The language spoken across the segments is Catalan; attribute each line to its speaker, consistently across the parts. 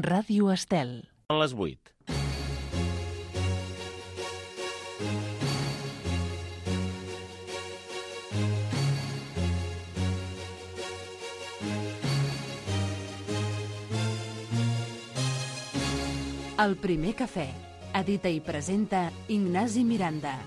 Speaker 1: Ràdio Estel.
Speaker 2: Són les 8.
Speaker 1: El primer cafè. Edita i presenta Ignasi Miranda.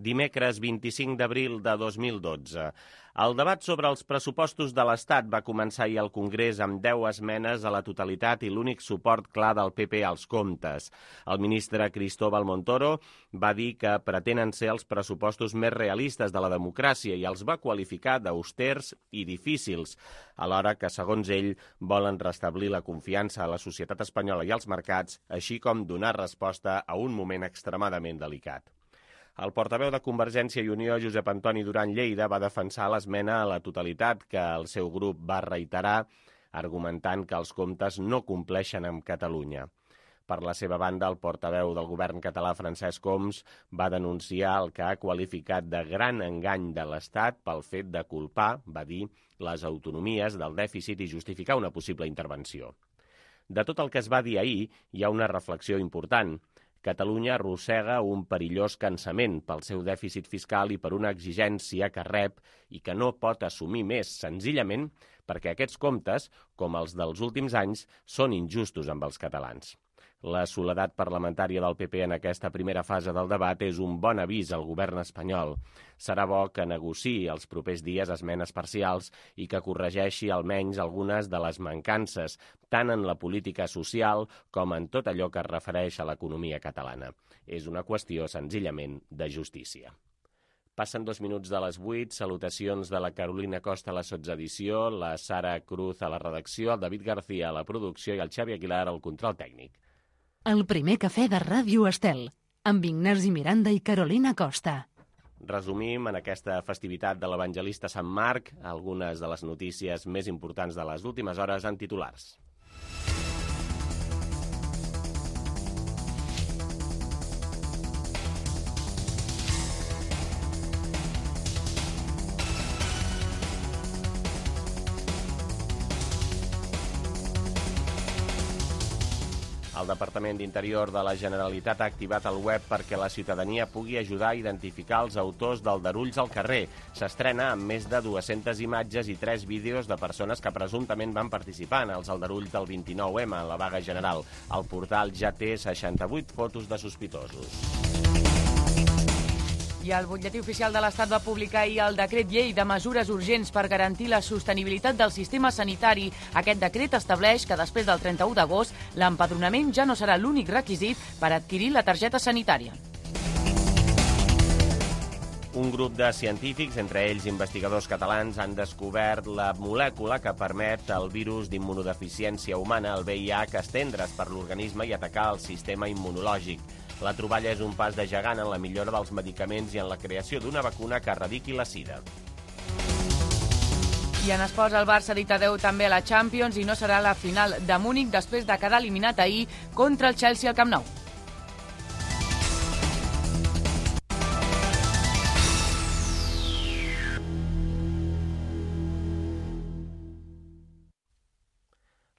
Speaker 2: Dimecres 25 d'abril de 2012. El debat sobre els pressupostos de l'Estat va començar ahir al Congrés amb 10 esmenes a la totalitat i l'únic suport clar del PP als comptes. El ministre Cristóbal Montoro va dir que pretenen ser els pressupostos més realistes de la democràcia i els va qualificar d'austers i difícils, alhora que, segons ell, volen restablir la confiança a la societat espanyola i als mercats, així com donar resposta a un moment extremadament delicat. El portaveu de Convergència i Unió, Josep Antoni Duran Lleida, va defensar l'esmena a la totalitat que el seu grup va reiterar, argumentant que els comptes no compleixen amb Catalunya. Per la seva banda, el portaveu del govern català, Francesc Homs, va denunciar el que ha qualificat de gran engany de l'Estat pel fet de culpar, va dir, les autonomies del dèficit i justificar una possible intervenció. De tot el que es va dir ahir, hi ha una reflexió important. Catalunya arrossega un perillós cansament pel seu dèficit fiscal i per una exigència que rep i que no pot assumir més, senzillament perquè aquests comptes, com els dels últims anys, són injustos amb els catalans. La soledat parlamentària del PP en aquesta primera fase del debat és un bon avís al govern espanyol. Serà bo que negociï els propers dies esmenes parcials i que corregeixi almenys algunes de les mancances, tant en la política social com en tot allò que es refereix a l'economia catalana. És una qüestió senzillament de justícia. Passen 2 minuts de les 8, salutacions de la Carolina Costa a la sotsedició, la Sara Cruz a la redacció, el David García a la producció i el Xavi Aguilar al control tècnic.
Speaker 1: El primer cafè de Ràdio Estel, amb Ignasi Miranda i Carolina Costa.
Speaker 2: Resumim en aquesta festivitat de l'evangelista Sant Marc algunes de les notícies més importants de les últimes hores en titulars. El Departament d'Interior de la Generalitat ha activat el web perquè la ciutadania pugui ajudar a identificar els autors d'aldarulls al carrer. S'estrena amb més de 200 imatges i 3 vídeos de persones que presumptament van participar en els aldarulls del 29M, en la vaga general. El portal ja té 68 fotos de sospitosos.
Speaker 3: I el butlletí oficial de l'Estat va publicar ahir el decret llei de mesures urgents per garantir la sostenibilitat del sistema sanitari. Aquest decret estableix que després del 31 d'agost l'empadronament ja no serà l'únic requisit per adquirir la targeta sanitària.
Speaker 2: Un grup de científics, entre ells investigadors catalans, han descobert la molècula que permet al virus d'immunodeficiència humana, el VIH, estendre's per l'organisme i atacar el sistema immunològic. La troballa és un pas de gegant en la millora dels medicaments i en la creació d'una vacuna que erradiqui la sida.
Speaker 3: I en esports, el Barça ha dit adeu també a la Champions i no serà la final de Múnich després de quedar eliminat ahir contra el Chelsea al Camp Nou.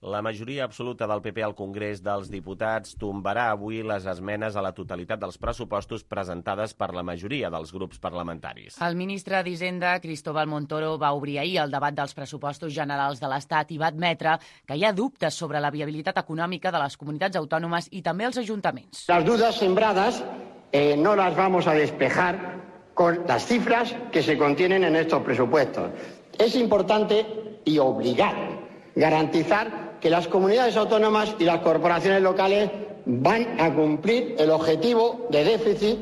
Speaker 2: La majoria absoluta del PP al Congrés dels Diputats tombarà avui les esmenes a la totalitat dels pressupostos presentades per la majoria dels grups parlamentaris.
Speaker 3: El ministre d'Hisenda, Cristóbal Montoro, va obrir ahir el debat dels pressupostos generals de l'Estat i va admetre que hi ha dubtes sobre la viabilitat econòmica de les comunitats autònomes i també els ajuntaments.
Speaker 4: Las dudas sembradas no las vamos a despejar con las cifras que se contienen en estos presupuestos. Es importante y obligado garantizar que las comunidades autónomas y las corporaciones locales van a cumplir el objetivo de déficit.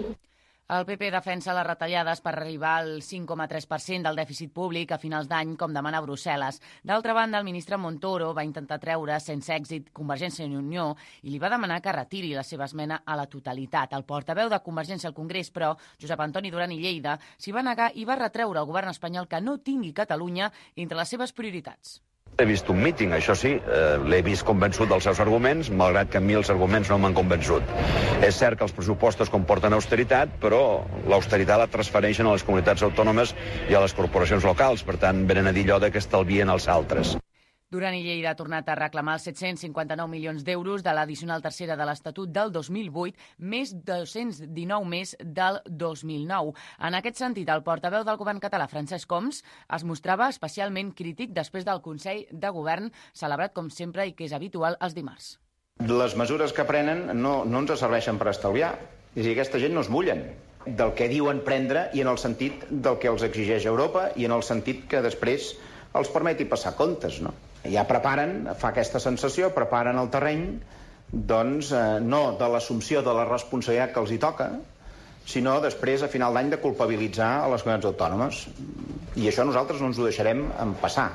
Speaker 3: El PP defensa les retallades per arribar al 5,3% del dèficit públic a finals d'any, com demana Brussel·les. D'altra banda, el ministre Montoro va intentar treure sense èxit Convergència i Unió i li va demanar que retiri la seva esmena a la totalitat. El portaveu de Convergència al Congrés, però, Josep Antoni Duran i Lleida, s'hi va negar i va retreure al govern espanyol que no tingui Catalunya entre les seves prioritats.
Speaker 5: He vist un míting, això sí, l'he vist convençut dels seus arguments, malgrat que a mi els arguments no m'han convençut. És cert que els pressupostos comporten austeritat, però l'austeritat la transfereixen a les comunitats autònomes i a les corporacions locals, per tant, venen a dir allò que estalvien els altres.
Speaker 3: Duran i Lleida ha tornat a reclamar els 759 milions d'euros de l'addicional tercera de l'Estatut del 2008, més 219 més del 2009. En aquest sentit, el portaveu del govern català, Francesc Homs, es mostrava especialment crític després del Consell de Govern, celebrat com sempre i que és habitual els dimarts.
Speaker 6: Les mesures que prenen no ens serveixen per estalviar. És a dir, aquesta gent no es mullen del que diuen prendre i en el sentit del que els exigeix Europa i en el sentit que després els permeti passar comptes, no? Ja preparen, fa aquesta sensació, preparen el terreny, doncs, no de l'assumpció de la responsabilitat que els hi toca, sinó després, a final d'any, de culpabilitzar a les comunitats autònomes. I això nosaltres no ens ho deixarem passar.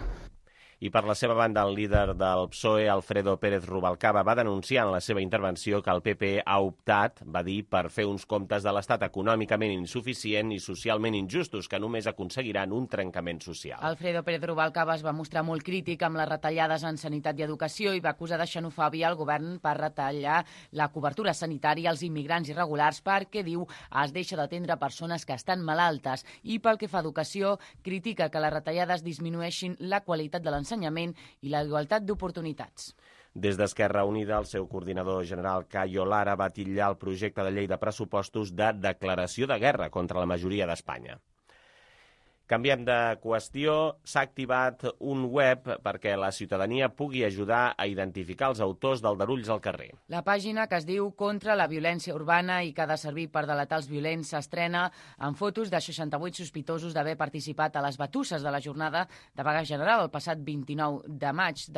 Speaker 2: I per la seva banda, el líder del PSOE, Alfredo Pérez Rubalcaba, va denunciar en la seva intervenció que el PP ha optat, va dir, per fer uns comptes de l'Estat econòmicament insuficient i socialment injustos, que només aconseguiran un trencament social.
Speaker 3: Alfredo Pérez Rubalcaba es va mostrar molt crític amb les retallades en sanitat i educació i va acusar de xenofòbia al govern per retallar la cobertura sanitària als immigrants irregulars perquè, diu, es deixa d'atendre persones que estan malaltes. I pel que fa a educació, critica que les retallades disminueixin la qualitat de l'ensenyament i la igualtat d'oportunitats.
Speaker 2: Des d'Esquerra Unida, el seu coordinador general, Cayo Lara, va titllar el projecte de llei de pressupostos de declaració de guerra contra la majoria d'Espanya. Canviem de qüestió. S'ha activat un web perquè la ciutadania pugui ajudar a identificar els autors d'aldarulls al carrer.
Speaker 3: La pàgina, que es diu Contra la violència urbana i que ha de servir per delatar els violents, s'estrena amb fotos de 68 sospitosos d'haver participat a les batusses de la jornada de vaga general el passat 29 de març.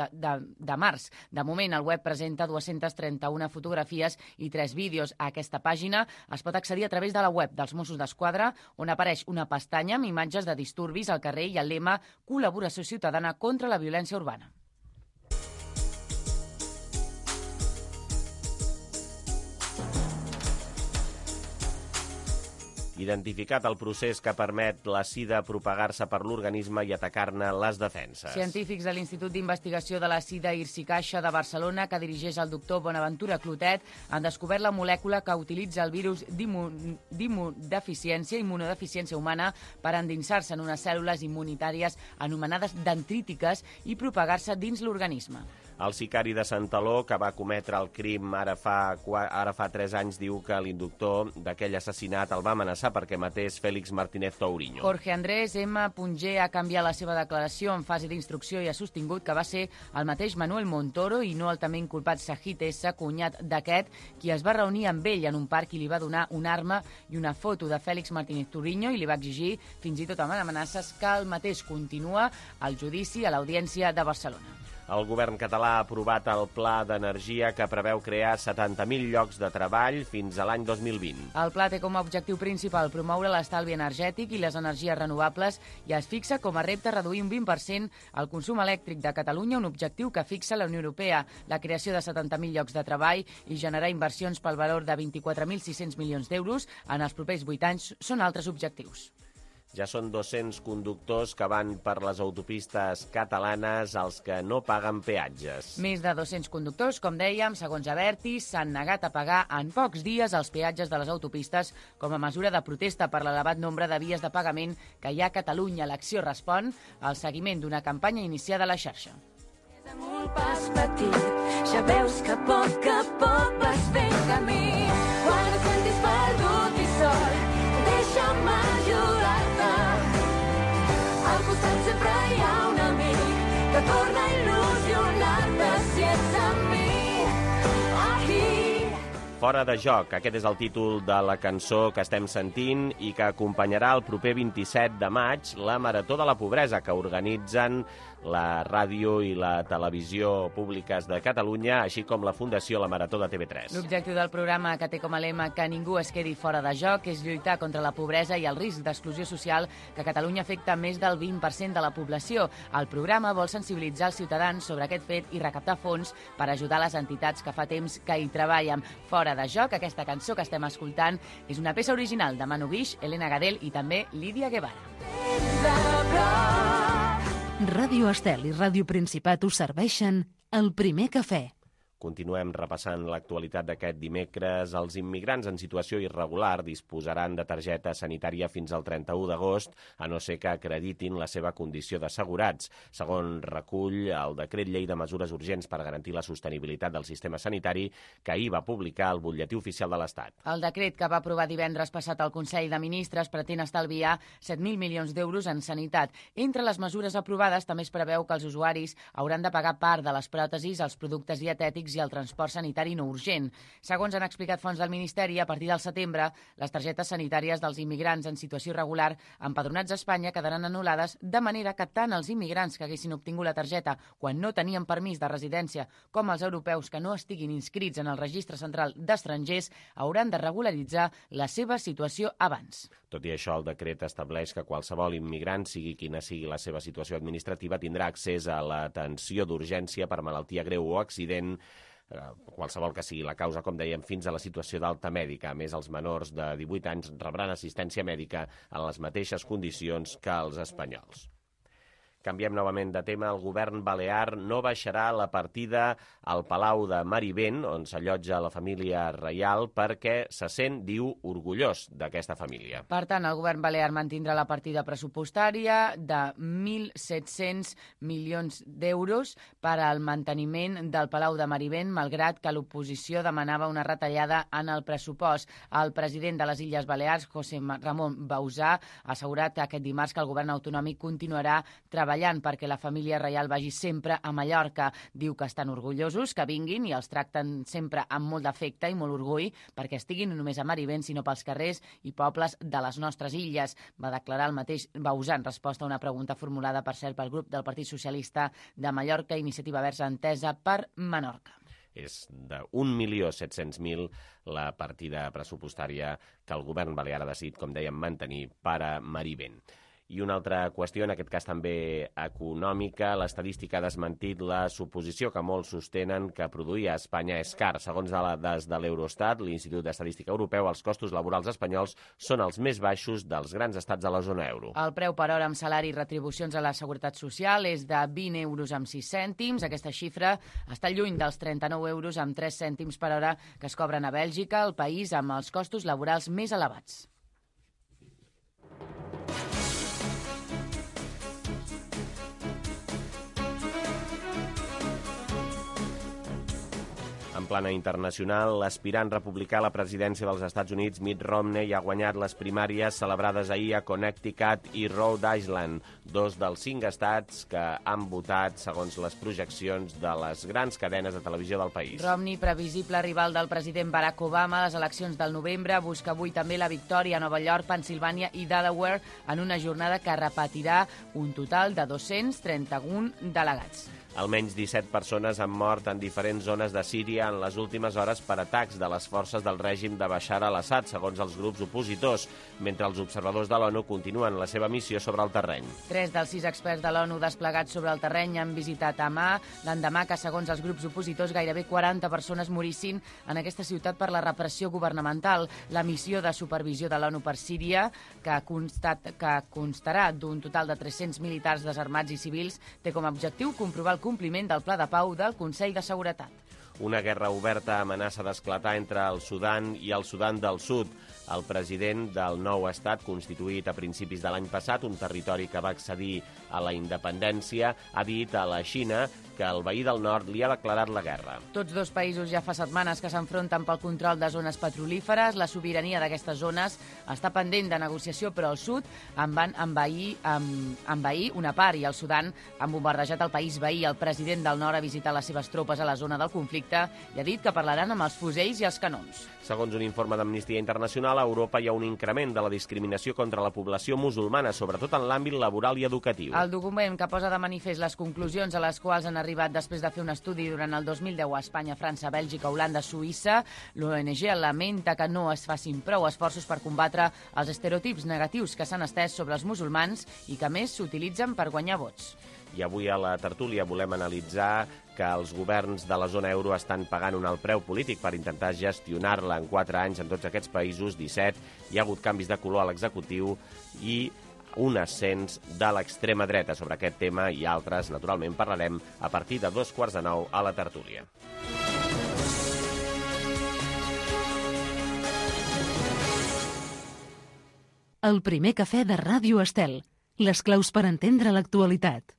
Speaker 3: De moment, el web presenta 231 fotografies i 3 vídeos. A aquesta pàgina es pot accedir a través de la web dels Mossos d'Esquadra, on apareix una pestanya amb imatges de disturbis al carrer i el lema Col·laboració ciutadana contra la violència urbana.
Speaker 2: Identificat el procés que permet la sida propagar-se per l'organisme i atacar-ne les defenses.
Speaker 3: Científics de l'Institut d'Investigació de la Sida Irsi-Caixa de Barcelona, que dirigeix el doctor Bonaventura Clotet, han descobert la molècula que utilitza el virus d'immunodeficiència humana per endinsar-se en unes cèl·lules immunitàries anomenades dendrítiques i propagar-se dins l'organisme.
Speaker 2: El sicari de Santaló, que va cometre el crim ara fa 3 anys, diu que l'inductor d'aquell assassinat el va amenaçar perquè matés Félix Martínez Touriño.
Speaker 3: Jorge Andrés M. Punger ha canviat la seva declaració en fase d'instrucció i ha sostingut que va ser el mateix Manuel Montoro i no el també inculpat Sajid S., cunyat d'aquest, qui es va reunir amb ell en un parc i li va donar una arma i una foto de Félix Martínez Touriño i li va exigir, fins i tot amb amenaces, que el mateix continua al judici a l'Audiència de Barcelona.
Speaker 2: El govern català ha aprovat el Pla d'Energia que preveu crear 70.000 llocs de treball fins a l'any 2020.
Speaker 3: El pla té com a objectiu principal promoure l'estalvi energètic i les energies renovables i es fixa com a repte reduir un 20% el consum elèctric de Catalunya, un objectiu que fixa la Unió Europea. La creació de 70.000 llocs de treball i generar inversions pel valor de 24.600 milions d'euros en els propers 8 anys són altres objectius.
Speaker 2: Ja són 200 conductors que van per les autopistes catalanes als que no paguen peatges.
Speaker 3: Més de 200 conductors, com dèiem, segons Abertis, s'han negat a pagar en pocs dies els peatges de les autopistes com a mesura de protesta per l'elevat nombre de vies de pagament que hi ha a Catalunya. L'acció respon al seguiment d'una campanya iniciada a la xarxa.
Speaker 7: Amb un pas petit, ja veus que a poc vas fent camí. Quan et sentis perdut i sol, deixa'm ajudar-te. Al costat sempre hi ha un amic que torna a il·lusionar-te si ets amb mi.
Speaker 2: Fora de joc, aquest és el títol de la cançó que estem sentint i que acompanyarà el proper 27 de maig la Marató de la Pobresa que organitzen la ràdio i la televisió públiques de Catalunya, així com la Fundació La Marató de TV3.
Speaker 3: L'objectiu del programa, que té com a lema que ningú es quedi fora de joc, és lluitar contra la pobresa i el risc d'exclusió social que a Catalunya afecta més del 20% de la població. El programa vol sensibilitzar els ciutadans sobre aquest fet i recaptar fons per ajudar les entitats que fa temps que hi treballen. Fora de joc, aquesta cançó que estem escoltant és una peça original de Manu Guix, Elena Gadel i també Lídia Guevara.
Speaker 1: Ràdio Estel i Ràdio Principat us serveixen el primer cafè.
Speaker 2: Continuem repassant l'actualitat d'aquest dimecres. Els immigrants en situació irregular disposaran de targeta sanitària fins al 31 d'agost, a no ser que acreditin la seva condició d'assegurats. Segons recull el decret llei de mesures urgents per garantir la sostenibilitat del sistema sanitari que ahir va publicar el butlletí oficial de l'Estat.
Speaker 3: El decret que va aprovar divendres passat al Consell de Ministres pretén estalviar 7.000 milions d'euros en sanitat. Entre les mesures aprovades també es preveu que els usuaris hauran de pagar part de les pròtesis, els productes dietètics i el transport sanitari no urgent. Segons han explicat fonts del Ministeri, a partir del setembre, les targetes sanitàries dels immigrants en situació irregular empadronats a Espanya quedaran anul·lades, de manera que tant els immigrants que haguessin obtingut la targeta quan no tenien permís de residència com els europeus que no estiguin inscrits en el Registre Central d'Estrangers hauran de regularitzar la seva situació abans.
Speaker 2: Tot i això, el decret estableix que qualsevol immigrant, sigui quina sigui la seva situació administrativa, tindrà accés a l'atenció d'urgència per malaltia greu o accident, qualsevol que sigui la causa, com dèiem, fins a la situació d'alta mèdica. A més, els menors de 18 anys rebran assistència mèdica en les mateixes condicions que els espanyols. Canviem novament de tema. El govern balear no baixarà la partida al Palau de Marivent, on s'allotja la família reial, perquè se sent, diu, orgullós d'aquesta família.
Speaker 3: Per tant, el govern balear mantindrà la partida pressupostària de 1.700 milions d'euros per al manteniment del Palau de Marivent, malgrat que l'oposició demanava una retallada en el pressupost. El president de les Illes Balears, José Ramon Bauzá, ha assegurat aquest dimarts que el govern autonòmic continuarà treballant perquè la família reial vagi sempre a Mallorca. Diu que estan orgullosos, que vinguin i els tracten sempre amb molt d'afecte i molt orgull perquè estiguin no només a Marivent, sinó pels carrers i pobles de les nostres illes. Va declarar el mateix Bauzá en resposta a una pregunta formulada, per cert, pel grup del Partit Socialista de Mallorca, Iniciativa Verds Entesa per Menorca.
Speaker 2: És de 1.700.000 la partida pressupostària que el govern balear ha decidit, com dèiem, mantenir per a Marivent. I una altra qüestió, en aquest cas també econòmica, l'estadística ha desmentit la suposició que molts sostenen que produir a Espanya és car. Segons dades de l'Eurostat, l'Institut d'Estadística Europeu, els costos laborals espanyols són els més baixos dels grans estats de la zona euro.
Speaker 3: El preu per hora amb salari i retribucions a la Seguretat Social és de 20 euros amb 6 cèntims. Aquesta xifra està lluny dels 39 euros amb 3 cèntims per hora que es cobren a Bèlgica, el país amb els costos laborals més elevats.
Speaker 2: En plana internacional, l'aspirant republicà a la presidència dels Estats Units, Mitt Romney, ha guanyat les primàries celebrades ahir a Connecticut i Rhode Island, dos dels 5 estats que han votat segons les projeccions de les grans cadenes de televisió del país.
Speaker 3: Romney, previsible rival del president Barack Obama a les eleccions del novembre, busca avui també la victòria a Nova York, Pennsilvània i Delaware en una jornada que repetirà un total de 231 delegats.
Speaker 2: Almenys 17 persones han mort en diferents zones de Síria en les últimes hores per atacs de les forces del règim de Bashar al-Assad, segons els grups opositors, mentre els observadors de l'ONU continuen la seva missió sobre el terreny.
Speaker 3: 3 dels 6 experts de l'ONU desplegats sobre el terreny han visitat Hama, l'endemà que, segons els grups opositors, gairebé 40 persones morissin en aquesta ciutat per la repressió governamental. La missió de supervisió de l'ONU per Síria, que constarà d'un total de 300 militars desarmats i civils, té com a objectiu comprovar el compliment del Pla de Pau del Consell de Seguretat.
Speaker 2: Una guerra oberta amenaça d'esclatar entre el Sudan i el Sudan del Sud. El president del nou estat, constituït a principis de l'any passat, un territori que va accedir a la independència, ha dit a la Xina que el veí del nord li ha declarat la guerra.
Speaker 3: Tots dos països ja fa setmanes que s'enfronten pel control de zones petrolíferes. La sobirania d'aquestes zones està pendent de negociació, però el sud en van envair una part i el Sudan han bombardejat el país veí. El president del nord ha visitat les seves tropes a la zona del conflicte i ha dit que parlaran amb els fusells i els canons.
Speaker 2: Segons un informe d'Amnistia Internacional, a Europa hi ha un increment de la discriminació contra la població musulmana, sobretot en l'àmbit laboral i educatiu.
Speaker 3: El document que posa de manifest les conclusions a les quals han arribat després de fer un estudi durant el 2010 a Espanya, França, Bèlgica, Holanda, Suïssa, l'ONG lamenta que no es facin prou esforços per combatre els estereotips negatius que s'han estès sobre els musulmans i que més s'utilitzen per guanyar vots.
Speaker 2: I avui a la tertúlia volem analitzar que els governs de la zona euro estan pagant un alt preu polític per intentar gestionar-la en 4 anys en tots aquests països, 17. Hi ha hagut canvis de color a l'executiu i un ascens de l'extrema dreta. Sobre aquest tema i altres, naturalment, parlarem a partir de 8:45 a la tertúlia.
Speaker 1: El primer cafè de Ràdio Estel. Les claus per entendre l'actualitat.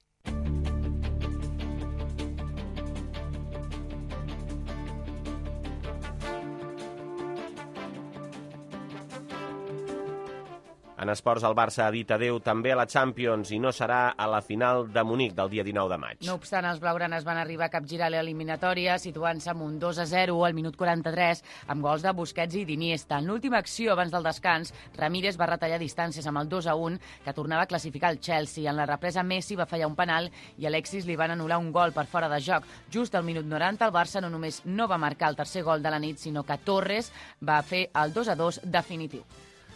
Speaker 2: En esports, el Barça ha dit adeu també a la Champions i no serà a la final de Munic del dia 19 de maig.
Speaker 3: No obstant, els blaugranes van arribar a capgirar l'eliminatòria, situant-se amb un 2-0 al minut 43, amb gols de Busquets i d'Iniesta. En l'última acció, abans del descans, Ramírez va retallar distàncies amb el 2-1, que tornava a classificar el Chelsea. En la represa, Messi va fallar un penal i Alexis li van anul·lar un gol per fora de joc. Just al minut 90, el Barça no només no va marcar el tercer gol de la nit, sinó que Torres va fer el 2-2 definitiu.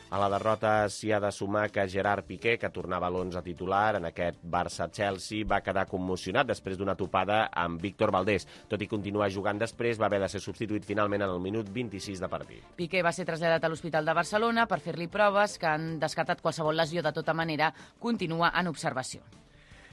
Speaker 2: A la derrota s'hi ha de sumar que Gerard Piqué, que tornava a l'11 titular en aquest Barça-Chelsea, va quedar commocionat després d'una topada amb Víctor Valdés. Tot i continuar jugant després, va haver de ser substituït finalment en el minut 26 de partit.
Speaker 3: Piqué va ser traslladat a l'Hospital de Barcelona per fer-li proves que han descartat qualsevol lesió. De tota manera, continua en observació.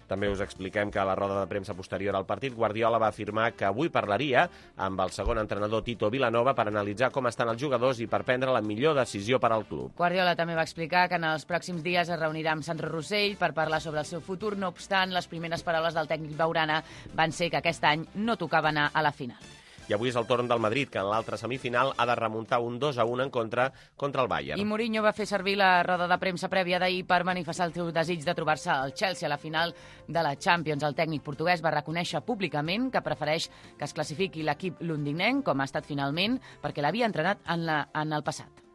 Speaker 2: També us expliquem que a la roda de premsa posterior al partit, Guardiola va afirmar que avui parlaria amb el segon entrenador Tito Vilanova per analitzar com estan els jugadors i per prendre la millor decisió per al club.
Speaker 3: Guardiola també va explicar que en els pròxims dies es reunirà amb Sandro Rossell per parlar sobre el seu futur. No obstant, les primeres paraules del tècnic blaugrana van ser que aquest any no tocava anar a la final.
Speaker 2: I avui és el torn del Madrid, que en l'altra semifinal ha de remuntar un 2-1 en contra el Bayern.
Speaker 3: I Mourinho va fer servir la roda de premsa prèvia d'ahir per manifestar el seu desig de trobar-se al Chelsea a la final de la Champions. El tècnic portuguès va reconèixer públicament que prefereix que es classifiqui l'equip londinenc, com ha estat finalment, perquè l'havia entrenat en el passat.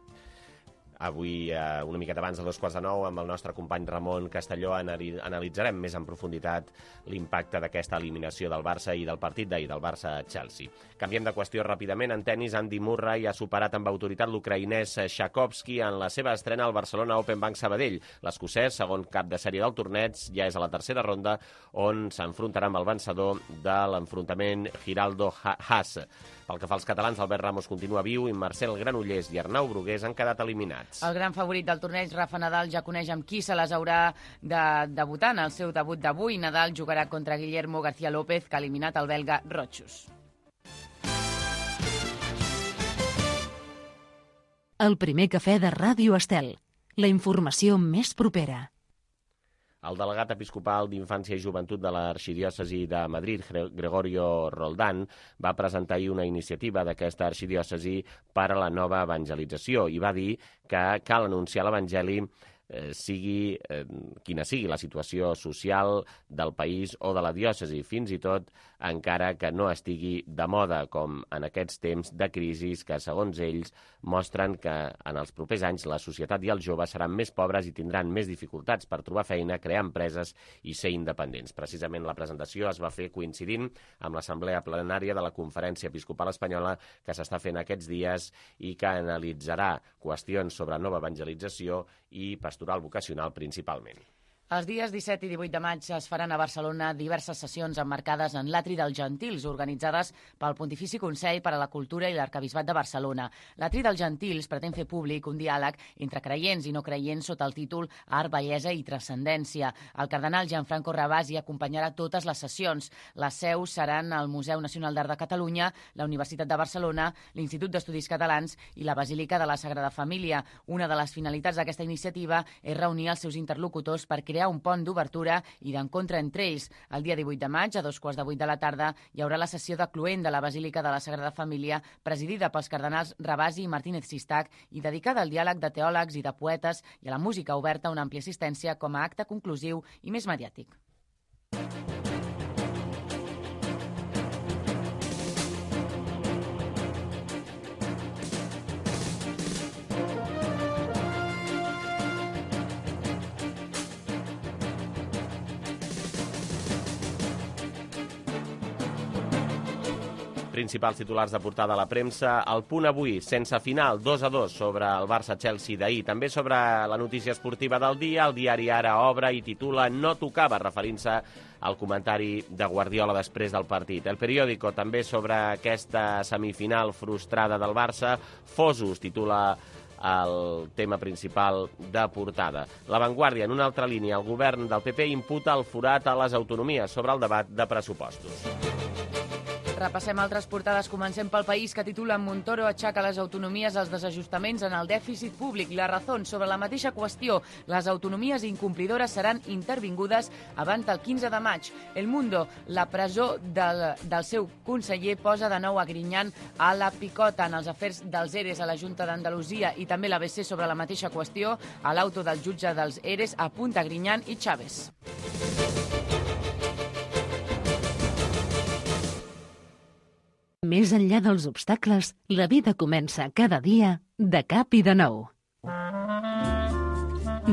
Speaker 2: Avui, una miqueta abans de 8:45, amb el nostre company Ramon Castelló, analitzarem més en profunditat l'impacte d'aquesta eliminació del Barça i del partit d'ahir, del Barça-Chelsea. Canviem de qüestió ràpidament. En tennis, Andy Murray ha superat amb autoritat l'ucraïnès Shakovsky en la seva estrena al Barcelona Open Bank Sabadell. L'escocès, segon cap de sèrie del torneig, ja és a la tercera ronda, on s'enfrontarà amb el vencedor de l'enfrontament Giraldo-Haas. Pel que fa als catalans, Albert Ramos continua viu i Marcel Granollers i Arnau Brugués han quedat eliminats.
Speaker 3: El gran favorit del torneig, Rafa Nadal, ja coneix amb qui se les haurà de debutar en el seu debut d'avui. Nadal jugarà contra Guillermo García López, que ha eliminat el belga Rochus.
Speaker 1: El primer cafè de Ràdio Estel. La informació més propera.
Speaker 2: El delegat episcopal d'Infància i Joventut de l'Arxidiòcesi de Madrid, Gregorio Roldán, va presentar ahir una iniciativa d'aquesta arxidiòcesi per a la nova evangelització i va dir que cal anunciar l'Evangeli sigui quina sigui la situació social del país o de la diòcesi, fins i tot encara que no estigui de moda, com en aquests temps de crisis que, segons ells, mostren que en els propers anys la societat i els joves seran més pobres i tindran més dificultats per trobar feina, crear empreses i ser independents. Precisament la presentació es va fer coincidint amb l'assemblea plenària de la Conferència Episcopal Espanyola que s'està fent aquests dies i que analitzarà qüestions sobre nova evangelització i pastoral vocacional principalment.
Speaker 3: Els dies 17 i 18 de maig es faran a Barcelona diverses sessions emmarcades en l'Atri dels Gentils, organitzades pel Pontifici Consell per a la Cultura i l'Arquebisbat de Barcelona. L'Atri dels Gentils pretén fer públic un diàleg entre creients i no creients sota el títol Art, Bellesa i Transcendència. El cardenal Gianfranco Ravasi acompanyarà totes les sessions. Les seus seran el Museu Nacional d'Art de Catalunya, la Universitat de Barcelona, l'Institut d'Estudis Catalans i la Basílica de la Sagrada Família. Una de les finalitats d'aquesta iniciativa és reunir els seus interlocutors per crear un pont d'obertura i d'encontre entre ells. El dia 18 de maig, a 7:15 de la tarda, hi haurà la sessió de cloent de la Basílica de la Sagrada Família, presidida pels cardenals Ravasi i Martínez Sistac i dedicada al diàleg de teòlegs i de poetes i a la música oberta a una àmplia assistència com a acte conclusiu i més mediàtic.
Speaker 2: Principals titulars de portada a la premsa. El Punt avui, sense final, 2-2 sobre el Barça-Chelsea d'ahir. També sobre la notícia esportiva del dia, el diari Ara obre i titula No tocava, referint-se al comentari de Guardiola després del partit. El Periódico també sobre aquesta semifinal frustrada del Barça. Fosos titula el tema principal de portada. La Vanguardia, en una altra línia, el govern del PP imputa el forat a les autonomies sobre el debat de pressupostos.
Speaker 3: Repassem altres portades. Comencem pel País, que titula Montoro aixeca les autonomies als desajustaments en el dèficit públic. La Razón, sobre la mateixa qüestió, les autonomies incomplidores seran intervingudes abans del 15 de maig. El Mundo, la presó del seu conseller posa de nou a Griñán a la picota. En els afers dels ERES a la Junta d'Andalusia i també l'ABC sobre la mateixa qüestió, a l'auto del jutge dels ERES apunta Griñán i Chávez.
Speaker 1: Més enllà dels obstacles, la vida comença cada dia de cap i de nou.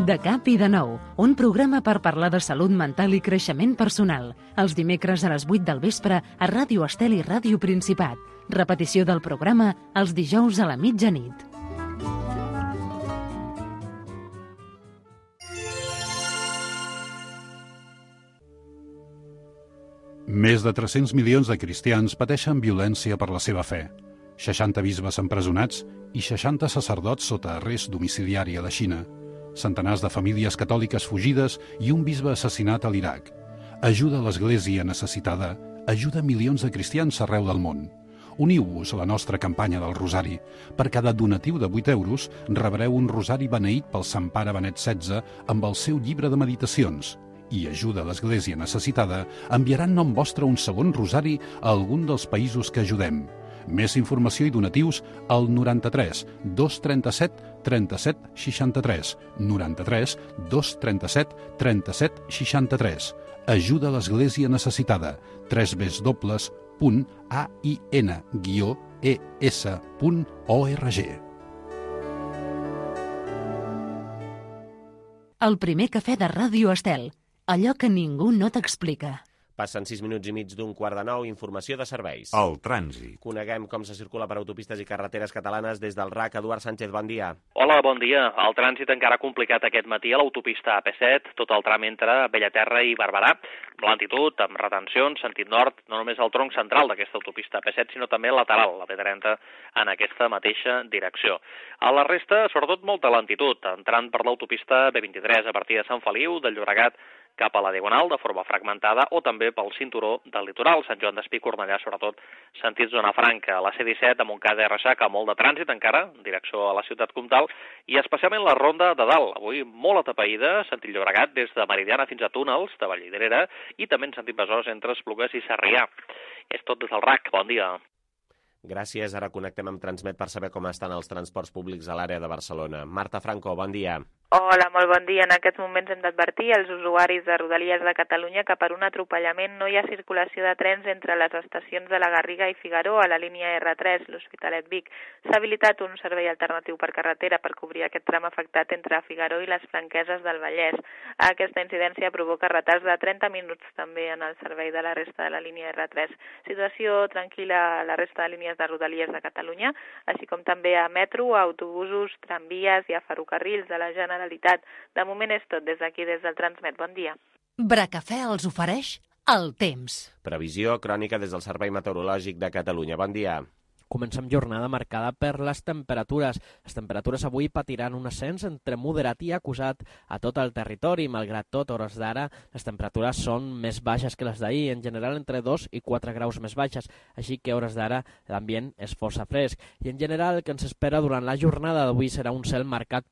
Speaker 1: De cap i de nou, un programa per parlar de salut mental i creixement personal. Els dimecres a les 8 del vespre a Ràdio Estel i Ràdio Principat. Repetició del programa els dijous a la mitjanit.
Speaker 8: Més de 300 milions de cristians pateixen violència per la seva fe. 60 bisbes empresonats i 60 sacerdots sota arrest domiciliari a la Xina. Centenars de famílies catòliques fugides i un bisbe assassinat a l'Iraq. Ajuda a l'Església necessitada, ajuda milions de cristians arreu del món. Uniu-vos a la nostra campanya del Rosari. Per cada donatiu de 8 euros rebreu un rosari beneït pel Sant Pare Benet XVI amb el seu llibre de meditacions. I ajuda a l'Església necessitada enviaran nom vostre un segon rosari a algun dels països que ajudem. Més informació i donatius al 93 237 37 63. 93 237 37 63. Ajuda a l'Església necessitada. www.ain-es.org.
Speaker 1: El primer cafè de Ràdio Estel. Allò que ningú no t'explica.
Speaker 2: Passen 6 minuts i mig d'un quart de 9, informació de serveis.
Speaker 9: El trànsit.
Speaker 2: Coneguem com se circula per autopistes i carreteres catalanes des del RAC. Eduard Sánchez, bon dia.
Speaker 10: Hola, bon dia. El trànsit encara complicat aquest matí a l'autopista AP7, tot el tram entre Bellaterra i Barberà. Lentitud, amb retencions, sentit nord, no només el tronc central d'aquesta autopista AP7, sinó també lateral, la B30, en aquesta mateixa direcció. A la resta, sobretot, molta lentitud, entrant per l'autopista B23 a partir de Sant Feliu, del Llobregat, cap a la Diagonal, de forma fragmentada, o també pel cinturó del litoral, Sant Joan d'Espí, Cornellà, sobretot sentit zona franca. La C-17, a Montcada i Reixac, amb molt de trànsit encara, en direcció a la ciutat comtal, i especialment la Ronda de Dalt, avui molt atapeïda, sentit Llobregat, des de Meridiana fins a Túnels, de Vallvidrera, i també en sentit Besòs, entre Esplugues i Sarrià. És tot des del RAC. Bon dia.
Speaker 2: Gràcies. Ara connectem amb Transmet per saber com estan els transports públics a l'àrea de Barcelona. Marta Franco, bon dia.
Speaker 11: Hola, molt bon dia. En aquests moments hem d'advertir als usuaris de Rodalies de Catalunya que per un atropellament no hi ha circulació de trens entre les estacions de la Garriga i Figaró a la línia R3, l'Hospitalet Vic. S'ha habilitat un servei alternatiu per carretera per cobrir aquest tram afectat entre Figaró i les Franqueses del Vallès. Aquesta incidència provoca retards de 30 minuts també en el servei de la resta de la línia R3. Situació tranquil·la a la resta de línies de Rodalies de Catalunya, així com també a metro, a autobusos, tramvies i a ferrocarrils de la Generalitat. De moment és tot des d'aquí, des del Transmet. Bon dia.
Speaker 1: Bracafè els ofereix el temps.
Speaker 2: Previsió crònica des del Servei Meteorològic de Catalunya. Bon dia.
Speaker 12: Comencem jornada marcada per les temperatures. Les temperatures avui patiran un ascens entre moderat i acusat a tot el territori. Malgrat tot, a hores d'ara, les temperatures són més baixes que les d'ahir, en general entre 2 i 4 graus més baixes, així que a hores d'ara l'ambient és força fresc. I en general el que ens espera durant la jornada d'avui serà un cel marcat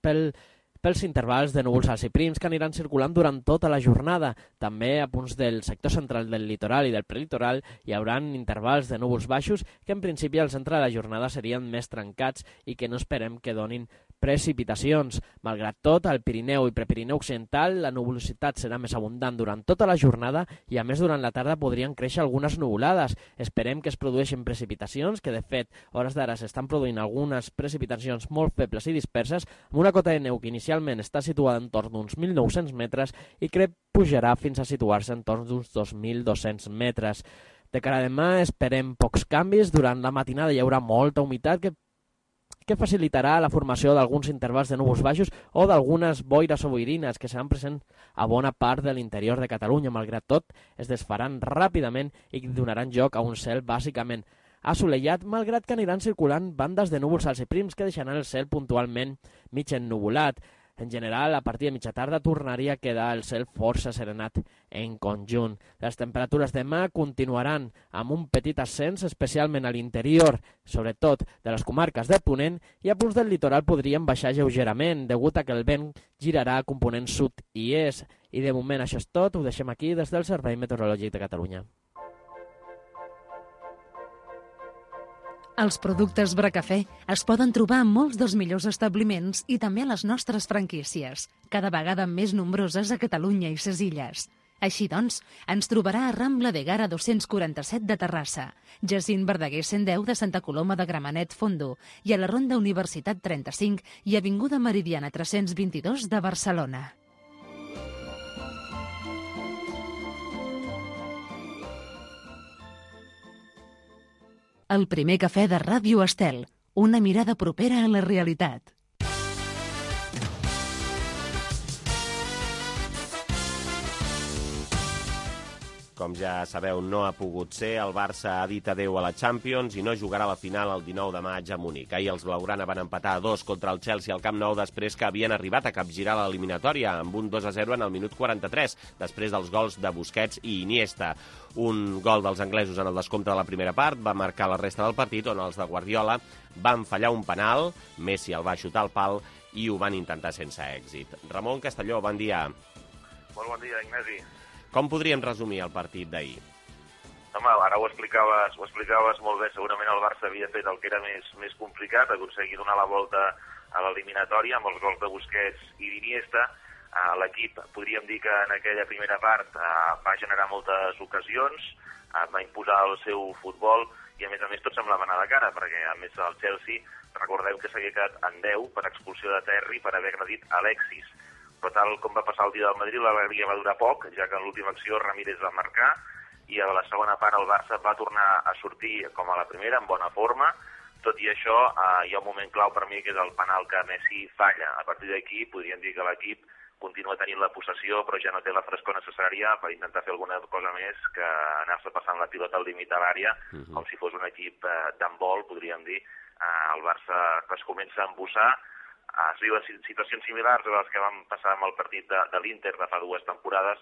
Speaker 12: pels intervals de núvols alts i prims que aniran circulant durant tota la jornada. També a punts del sector central del litoral i del prelitoral hi haurà intervals de núvols baixos que en principi al centre de la jornada serien més trencats i que no esperem que donin precipitacions. Malgrat tot, al Pirineu i Prepirineu Occidental la nuvolositat serà més abundant durant tota la jornada i a més durant la tarda podrien créixer algunes nuvolades. Esperem que es produeixin precipitacions, que de fet a hores d'ara s'estan produint algunes precipitacions molt febles i disperses, amb una cota de neu que inicialment està situada entorn d'uns 1.900 metres i que pujarà fins a situar-se entorn d'uns 2.200 metres. De cara a demà esperem pocs canvis. Durant la matinada hi haurà molta humitat que facilitarà la formació d'alguns intervals de núvols baixos o d'algunes boires o boirines que seran presents a bona part de l'interior de Catalunya. Malgrat tot, es desfaran ràpidament i donaran lloc a un cel bàsicament assolellat, malgrat que aniran circulant bandes de núvols alts i prims que deixaran el cel puntualment mig ennuvolat. En general, a partir de mitja tarda tornaria a quedar el cel força serenat en conjunt. Les temperatures demà continuaran amb un petit ascens, especialment a l'interior, sobretot de les comarques de Ponent, i a punts del litoral podrien baixar lleugerament, degut a que el vent girarà a component sud i est. I de moment això és tot, ho deixem aquí des del Servei Meteorològic de Catalunya.
Speaker 1: Els productes Bracafè es poden trobar en molts dels millors establiments i també a les nostres franquícies, cada vegada més nombroses a Catalunya i ses illes. Així doncs, ens trobarà a Rambla de Gara 247 de Terrassa, Jacint Verdaguer 110 de Santa Coloma de Gramenet Fondo i a la Ronda Universitat 35 i Avinguda Meridiana 322 de Barcelona. El primer cafè de Ràdio Estel, una mirada propera a la realitat.
Speaker 2: Com ja sabeu, no ha pogut ser. El Barça ha dit adeu a la Champions i no jugarà la final el 19 de maig a Munic. Ahir els blaugrana van empatar a 2 contra el Chelsea al Camp Nou després que havien arribat a capgirar l'eliminatòria amb un 2-0 en el minut 43, després dels gols de Busquets i Iniesta. Un gol dels anglesos en el descompte de la primera part va marcar la resta del partit, on els de Guardiola van fallar un penal, Messi el va xutar al pal i ho van intentar sense èxit. Ramon Castelló, bon dia.
Speaker 9: Molt bon dia, Ignasi.
Speaker 2: Com podríem resumir el partit d'ahir?
Speaker 9: Home, ara ho explicaves molt bé. Segurament el Barça havia fet el que era més complicat, aconseguir donar la volta a l'eliminatòria amb els gols de Busquets i d'Iniesta. L'equip, podríem dir que en aquella primera part va generar moltes ocasions, va imposar el seu futbol i a més tot semblava anar de cara, perquè a més el Chelsea, recordeu que s'havia quedat en 10 per expulsió de Terry per haver agredit Alexis. Però tal com va passar el dia del Madrid, l'alegria va durar poc, ja que en l'última acció Ramírez va marcar i a la segona part el Barça va tornar a sortir com a la primera, en bona forma. Tot i això, hi ha un moment clau per mi, que és el penal que Messi falla. A partir d'aquí podríem dir que l'equip continua tenint la possessió, però ja no té la frescor necessària per intentar fer alguna cosa més que anar-se passant la pilota al límit de l'àrea, com si fos un equip d'handbol, podríem dir. El Barça es comença a embussar. Es viuen situacions similars a les que van passar amb el partit de l'Inter de fa 2 temporades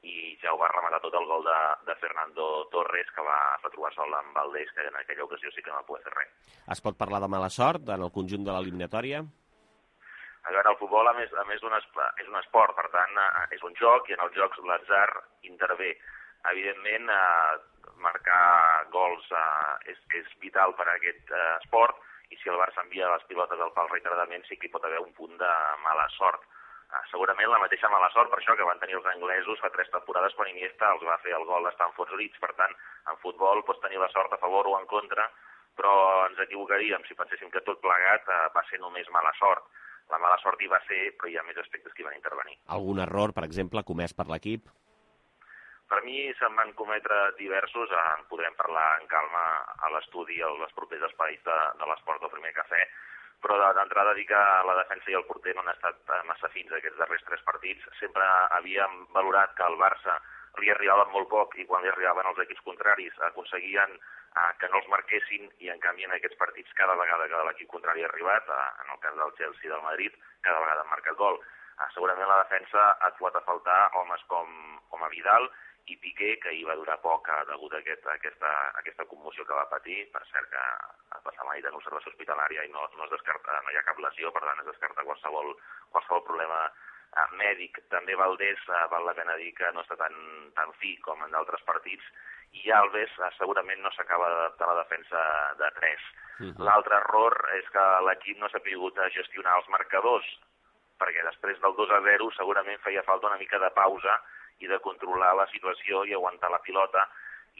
Speaker 9: i ja ho va rematar tot el gol de Fernando Torres, que va trobar sol amb Valdés, que en aquella ocasió sí que no va poder fer res.
Speaker 2: Es pot parlar de mala sort en el conjunt de l'eliminatòria?
Speaker 9: A veure, el futbol, a més és un esport, per tant, és un joc, i en els jocs l'atzar intervé. Evidentment, marcar gols és vital per a aquest esport, i si el Barça envia les pilotes al pal reiteradament sí que hi pot haver un punt de mala sort. Segurament la mateixa mala sort per això que van tenir els anglesos fa 3 temporades quan Iniesta els va fer el gol a Stamford Bridge. Per tant, en futbol pots tenir la sort a favor o en contra, però ens equivocaríem si penséssim que tot plegat va ser només mala sort. La mala sort hi va ser, però hi ha més aspectes que hi van intervenir.
Speaker 2: Algun error, per exemple, comès per l'equip?
Speaker 9: Per mi se'n van cometre diversos, en podrem parlar en calma a l'estudi, als propers espais de l'esport del primer cafè, però d'entrada dir que la defensa i el porter no han estat massa fins aquests darrers 3 partits. Sempre havíem valorat que al Barça li arribaven molt poc i quan li arribaven els equips contraris aconseguien que no els marquessin i en canvi en aquests partits cada vegada que l'equip contrari ha arribat, en el cas del Chelsea i del Madrid, cada vegada han marcat gol. Segurament la defensa ha trobat a faltar homes com a Vidal i Piqué, que hi va durar poc degut a aquesta commoció que va patir. Per cert que ha passat la nit en observació hospitalària i no es descarta, no hi ha cap lesió, per tant es descarta qualsevol problema mèdic. També Valdés, val la pena dir que no està tan fi com en d'altres partits, i Alves segurament no s'acaba d'adaptar a la defensa de 3. L'altre error és que l'equip no s'ha pogut gestionar els marcadors, perquè després del 2-0 segurament feia falta una mica de pausa i de controlar la situació i aguantar la pilota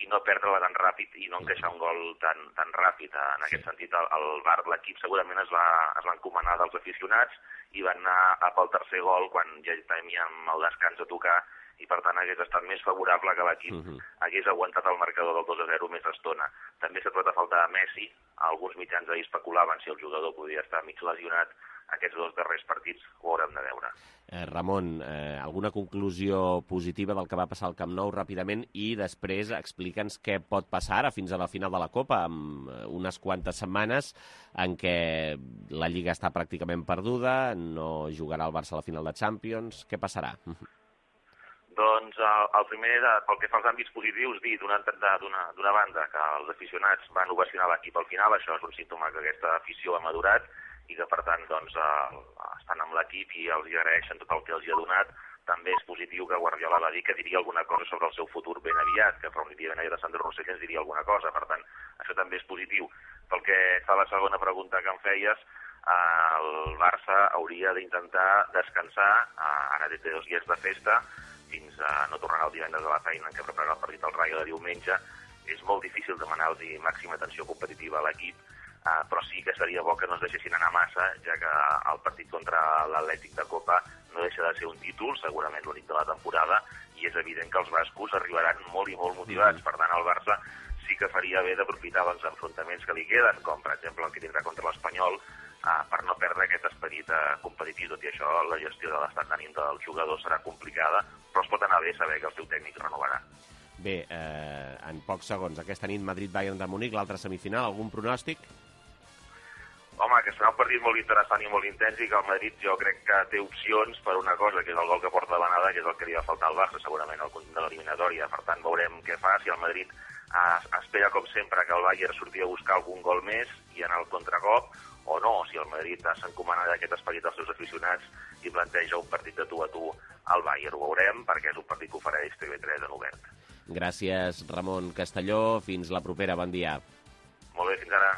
Speaker 9: i no perdre-la tan ràpid i no encaixar un gol tan ràpid. En aquest sentit, l'equip segurament es va encomanar dels aficionats i van anar pel tercer gol quan ja teníem el descans a tocar i per tant hagués estat més favorable que l'equip hagués aguantat el marcador del 2-0 més estona. També s'ha trobat a faltar a Messi. Alguns mitjans ahir especulaven si el jugador podia estar mig lesionat. aquests 2 darrers partits ho haurem de veure.
Speaker 2: Ramon, alguna conclusió positiva del que va passar al Camp Nou ràpidament i després explica'ns què pot passar ara fins a la final de la Copa, amb unes quantes setmanes en què la Lliga està pràcticament perduda, no jugarà el Barça a la final de Champions. Què passarà?
Speaker 9: Doncs el primer, pel que fa als àmbits positius, dir d'una banda que els aficionats van ovacionar l'equip al final, això és un símptoma que aquesta afició ha madurat i que, per tant, doncs, estan amb l'equip i els agraeixen tot el que els ha donat. També és positiu que Guardiola va dir que diria alguna cosa sobre el seu futur ben aviat, que definitivament ahir de Sandro Rossell ens diria alguna cosa. Per tant, això també és positiu. Pel que fa a la segona pregunta que em feies, el Barça hauria d'intentar descansar, ara té 2 dies de festa, fins a no tornarà el divendres a la feina en què prepararà el partit al Rayo de diumenge. És molt difícil demanar-los màxima tensió competitiva a l'equip, però sí que seria bo que no es deixessin anar massa, ja que el partit contra l'Atlètic de Copa no deixa de ser un títol, segurament l'únic de la temporada, i és evident que els bascos arribaran molt i molt motivats. Per tant, el Barça sí que faria bé d'aprofitar els enfrontaments que li queden, com per exemple el que tindrà contra l'Espanyol, per no perdre aquest esperit competitiu. Tot i això, la gestió de l'estat d'ànim del jugador serà complicada, però es pot anar bé saber que el seu tècnic renovarà.
Speaker 2: Bé, en pocs segons, aquesta nit Madrid-Bayern de Munic, l'altra semifinal, algun pronòstic?
Speaker 9: Home, que serà un partit molt interessant i molt intens i que el Madrid jo crec que té opcions per una cosa, que és el gol que porta de l'anada, que és el que li va faltar al Barça, segurament al conjunt de l'eliminatòria. Per tant, veurem què fa, si el Madrid espera, com sempre, que el Bayern surti a buscar algun gol més i anar al contracop, o no, si el Madrid s'encomana d'aquest esperit dels seus aficionats i planteja un partit de tu a tu al Bayern. Ho veurem, perquè és un partit que ofereix TV3 en obert.
Speaker 2: Gràcies, Ramon Castelló. Fins la propera. Bon dia.
Speaker 9: Molt bé, fins ara.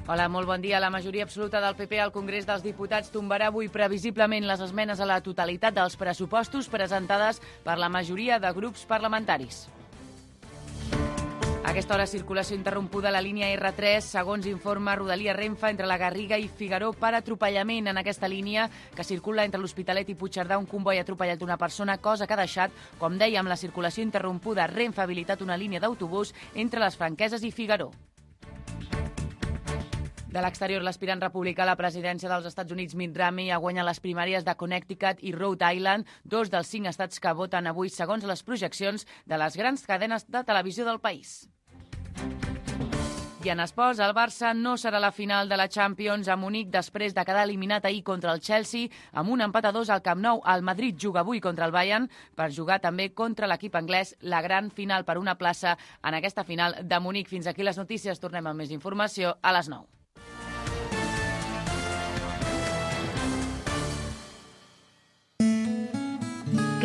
Speaker 3: Hola, molt bon dia. La majoria absoluta del PP al Congrés dels Diputats tombarà avui previsiblement les esmenes a la totalitat dels pressupostos presentades per la majoria de grups parlamentaris. A aquesta hora, circulació interrompuda a la línia R3, segons informa Rodalia Renfe, entre la Garriga i Figaró per atropellament en aquesta línia que circula entre l'Hospitalet i Puigcerdà. Un comboi ha atropellat una persona, cosa que ha deixat, com dèiem, la circulació interrompuda. Renfe ha habilitat una línia d'autobús entre les Franqueses i Figaró. De l'exterior, l'aspirant republicà a la presidència dels Estats Units, Mitt Romney, ha guanyat les primàries de Connecticut i Rhode Island, 2 dels 5 estats que voten avui segons les projeccions de les grans cadenes de televisió del país. I en esports, el Barça no serà la final de la Champions a Munic després de quedar eliminat ahir contra el Chelsea amb un empat a 2 al Camp Nou. El Madrid juga avui contra el Bayern per jugar també contra l'equip anglès, la gran final per una plaça en aquesta final de Munic. Fins aquí les notícies. Tornem amb més informació a les 9.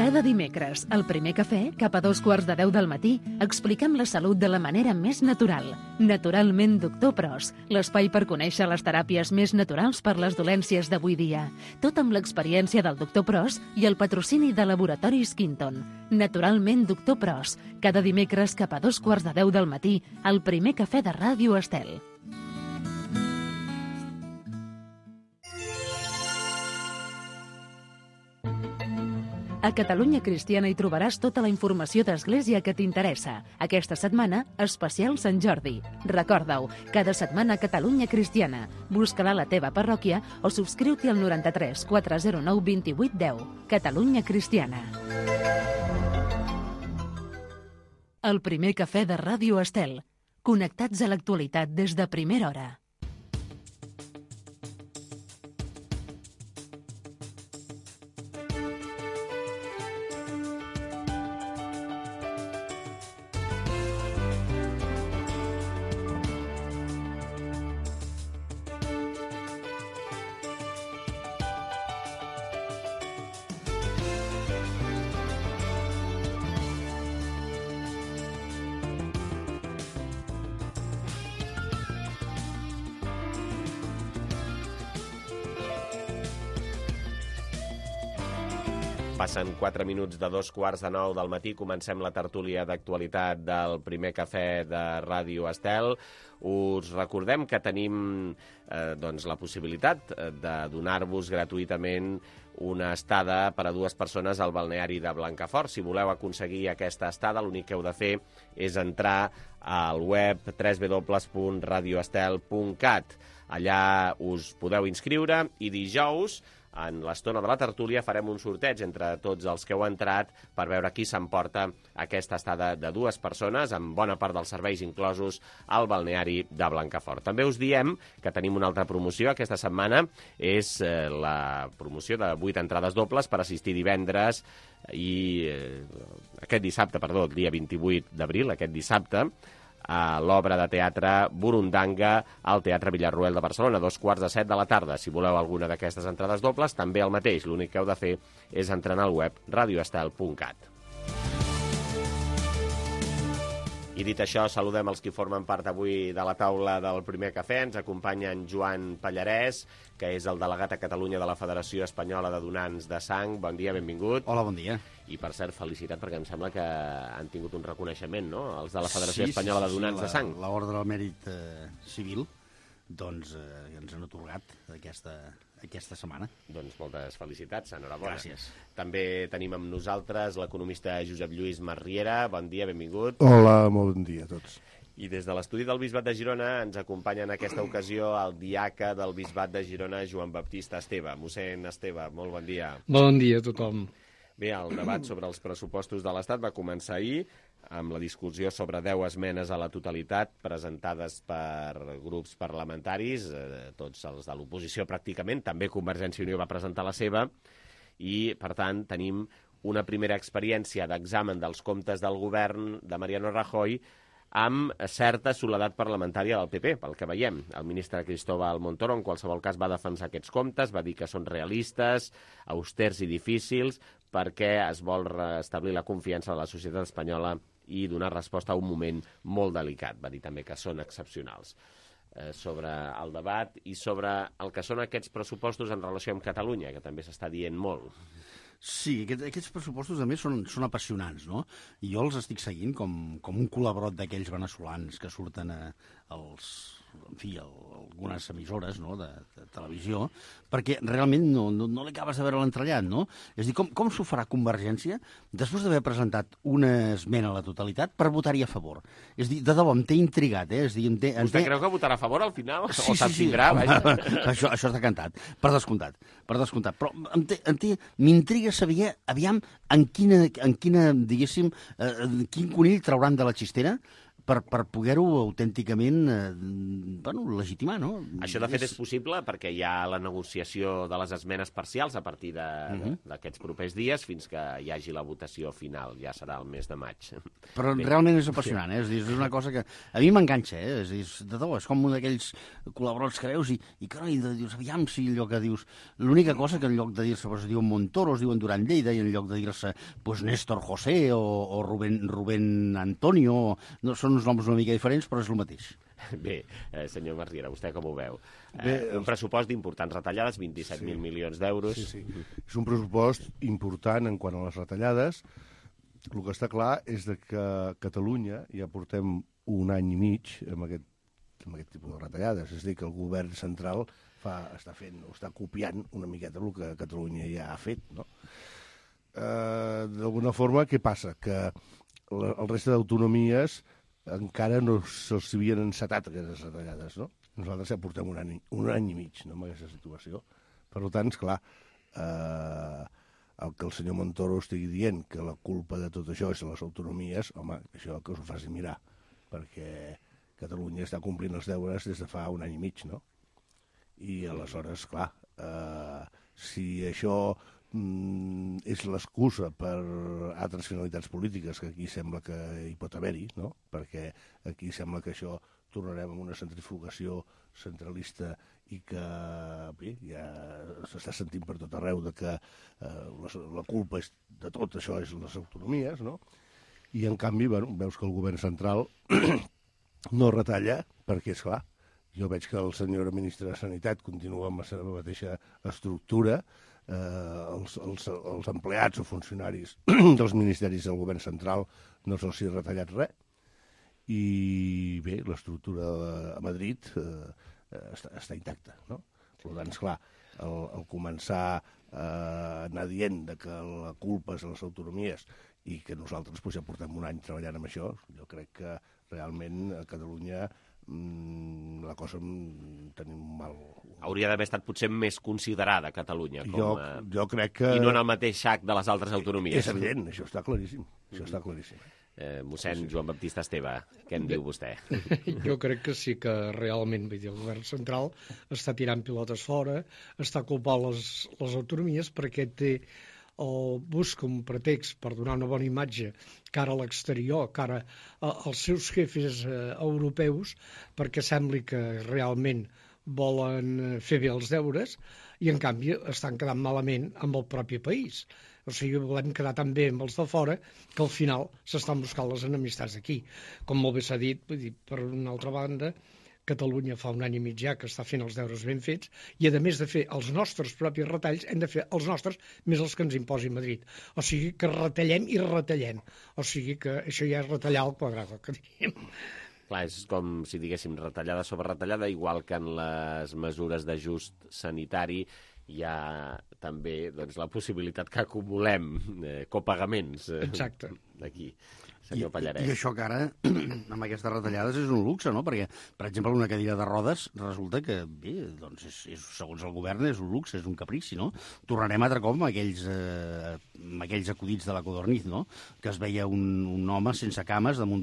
Speaker 1: Cada dimecres, al Primer Cafè, cap a 2:15 del matí, expliquem la salut de la manera més natural. Naturalment Doctor Pros, l'espai per conèixer les teràpies més naturals per les dolències d'avui dia. Tot amb l'experiència del Doctor Pros i el patrocini de Laboratoris Quinton. Naturalment Doctor Pros, cada dimecres cap a 2:15 del matí, al Primer Cafè de Ràdio Estel. A Catalunya Cristiana hi trobaràs tota la informació d'Església que t'interessa. Aquesta setmana, especial Sant Jordi. Recorda-ho, cada setmana a Catalunya Cristiana. Busca-la a la teva parròquia o subscriu-t'hi al 93 409 28 10. Catalunya Cristiana. El Primer Cafè de Ràdio Estel. Connectats a l'actualitat des de primera hora.
Speaker 2: Passen 4 minuts de 2:15 del matí. Comencem la tertúlia d'actualitat del primer cafè de Ràdio Estel. Us recordem que tenim la possibilitat de donar-vos gratuïtament una estada per a 2 persones al balneari de Blancafort. Si voleu aconseguir aquesta estada, l'únic que heu de fer és entrar al web www.radioestel.cat. Allà us podeu inscriure i dijous, en l'estona de la tertúlia, farem un sorteig entre tots els que heu entrat per veure qui s'emporta aquesta estada de 2 persones, amb bona part dels serveis inclosos al balneari de Blancafort. També us diem que tenim una altra promoció aquesta setmana, és la promoció de 8 entrades dobles per assistir divendres i aquest dissabte, el dia 28 d'abril, aquest dissabte, a l'obra de teatre Burundanga al Teatre Villarroel de Barcelona, a 6:45 de la tarda. Si voleu alguna d'aquestes entrades dobles, també el mateix. L'únic que heu de fer és entrar al web radioestel.cat. I dit això, saludem els que formen part avui de la taula del primer cafè. Ens acompanya en Joan Pallarès, que és el delegat a Catalunya de la Federació Espanyola de Donants de Sang. Bon dia, benvingut.
Speaker 13: Hola, bon dia.
Speaker 2: I, per cert, felicitat, perquè em sembla que han tingut un reconeixement, no?, els de la Federació Espanyola de Donants de Sang.
Speaker 13: L'Ordre del Mèrit Civil, doncs, ens han atorgat aquesta setmana.
Speaker 2: Doncs moltes felicitats, enhorabona.
Speaker 13: Gràcies.
Speaker 2: També tenim amb nosaltres l'economista Josep Lluís Marriera. Bon dia, benvingut.
Speaker 14: Hola, molt bon dia a tots.
Speaker 2: I des de l'estudi del Bisbat de Girona ens acompanya en aquesta ocasió el diaca del Bisbat de Girona, Joan Baptista Esteve. Mossèn Esteve, molt bon dia.
Speaker 15: Bon dia a tothom.
Speaker 2: Bé, el debat sobre els pressupostos de l'Estat va començar ahir amb la discussió sobre 10 esmenes a la totalitat presentades per grups parlamentaris, tots els de l'oposició pràcticament, també Convergència i Unió va presentar la seva, i, per tant, tenim una primera experiència d'examen dels comptes del govern de Mariano Rajoy amb certa soledat parlamentària del PP, pel que veiem. El ministre Cristóbal Montoro, en qualsevol cas, va defensar aquests comptes, va dir que són realistes, austers i difícils, perquè es vol restablir la confiança de la societat espanyola i donar resposta a un moment molt delicat. Va dir també que són excepcionals. Sobre el debat i sobre el que són aquests pressupostos en relació amb Catalunya, que també s'està dient molt.
Speaker 13: Sí, aquests pressupostos a més són apassionants, no? I jo els estic seguint com un colabrot d'aquells veneçolans que surten algunes emissores, no?, de televisió, perquè realment no li acabes de veure l'entrellat, no? És a dir, com s'ho farà Convergència després d'haver presentat una esmena a la totalitat per votar-hi a favor? És a dir, de debò, em té intrigat, eh? És a dir,
Speaker 2: Vostè creu que votarà a favor al final?
Speaker 13: Sí,
Speaker 2: o s'abstindrà?
Speaker 13: Això està cantat, per descomptat. Però m'intriga saber, aviam, en quina, diguéssim, quin conill trauran de la xistera per poder-ho autènticament legitimar, no?
Speaker 2: Això, de fet, és possible perquè hi ha la negociació de les esmenes parcials a partir d'aquests propers dies fins que hi hagi la votació final. Ja serà el mes de maig.
Speaker 13: Però realment és apassionant, eh? És una cosa que a mi m'enganxa, eh? És com un d'aquells col·laboradors que veus i carai, dius, aviam si allò que dius... L'única cosa que en lloc de dir-se es diuen Montoro, es diuen Duran Lleida, i en lloc de dir-se Néstor José o Rubén Antonio, no són uns noms una mica diferents, però és el mateix.
Speaker 2: Bé, senyor Marriera, vostè com ho veu? Un pressupost d'importants retallades, 27.000 milions d'euros.
Speaker 14: Sí. És un pressupost important en quant a les retallades. El que està clar és que a Catalunya ja portem un any i mig amb aquest tipus de retallades. És a dir, que el govern central està copiant una miqueta el que Catalunya ja ha fet, no? D'alguna forma, què passa? Que el resta d'autonomies encara no se'ls havien encetat aquestes retallades, no? Nosaltres ja portem un any i mig, no?, amb aquesta situació. Per tant, esclar, el que el senyor Montoro estigui dient, que la culpa de tot això és de les autonomies, home, això que us ho faci mirar, perquè Catalunya està complint els deures des de fa un any i mig, no? I aleshores, clar, si això és l'excusa per altres finalitats polítiques, que aquí sembla que hi pot haver-hi, no? Perquè aquí sembla que això tornarem a una centrifugació centralista i que bé, ja s'està sentint per tot arreu de que la culpa de tot això és les autonomies, no? I en canvi, veus que el govern central no retalla, perquè és clar, jo veig que el senyor ministre de Sanitat continua amb la seva mateixa estructura, els empleats o funcionaris dels ministeris del govern central no se'ls ha retallat res. I bé, l'estructura a Madrid està intacta, no? Per tant, esclar, el començar a anar dient que la culpa és de les autonomies i que nosaltres ja portem un any treballant amb això, jo crec que realment a Catalunya la cosa tenim mal.
Speaker 2: Hauria d'haver estat potser més considerada Catalunya.
Speaker 14: Jo crec que...
Speaker 2: I no en el mateix sac de les altres autonomies.
Speaker 14: És evident, això està claríssim.
Speaker 2: Mossèn Joan Baptista Esteve, què en diu vostè?
Speaker 15: Jo crec que sí que realment el govern central està tirant pilotes fora, està culpant les autonomies perquè busca un pretext per donar una bona imatge cara a l'exterior, cara als seus jefes europeus, perquè sembli que realment volen fer bé els deures i, en canvi, estan quedant malament amb el propi país. O sigui, volem quedar tan bé amb els de fora que al final s'estan buscant les enemistats d'aquí. Com molt bé s'ha dit, vull dir, per una altra banda, Catalunya fa un any i mig ja que està fent els deures ben fets i, a més de fer els nostres propis retalls, hem de fer els nostres més els que ens imposi Madrid. O sigui que retallem i retallem. O sigui que això ja és retallar al quadrat, el que diríem.
Speaker 2: Clar, és com si diguéssim retallada sobre retallada, igual que en les mesures d'ajust sanitari hi ha també la possibilitat que acumulem copagaments.
Speaker 15: Exacte.
Speaker 2: D'aquí. Senyor Pallarès.
Speaker 13: I això que ara, amb aquestes retallades, és un luxe, no? Perquè, per exemple, una cadira de rodes resulta que, bé, doncs, segons el govern, és un luxe, és un caprici, no? Tornarem altre cop amb aquells acudits de la Codorniz, no? Que es veia un home sense cames damunt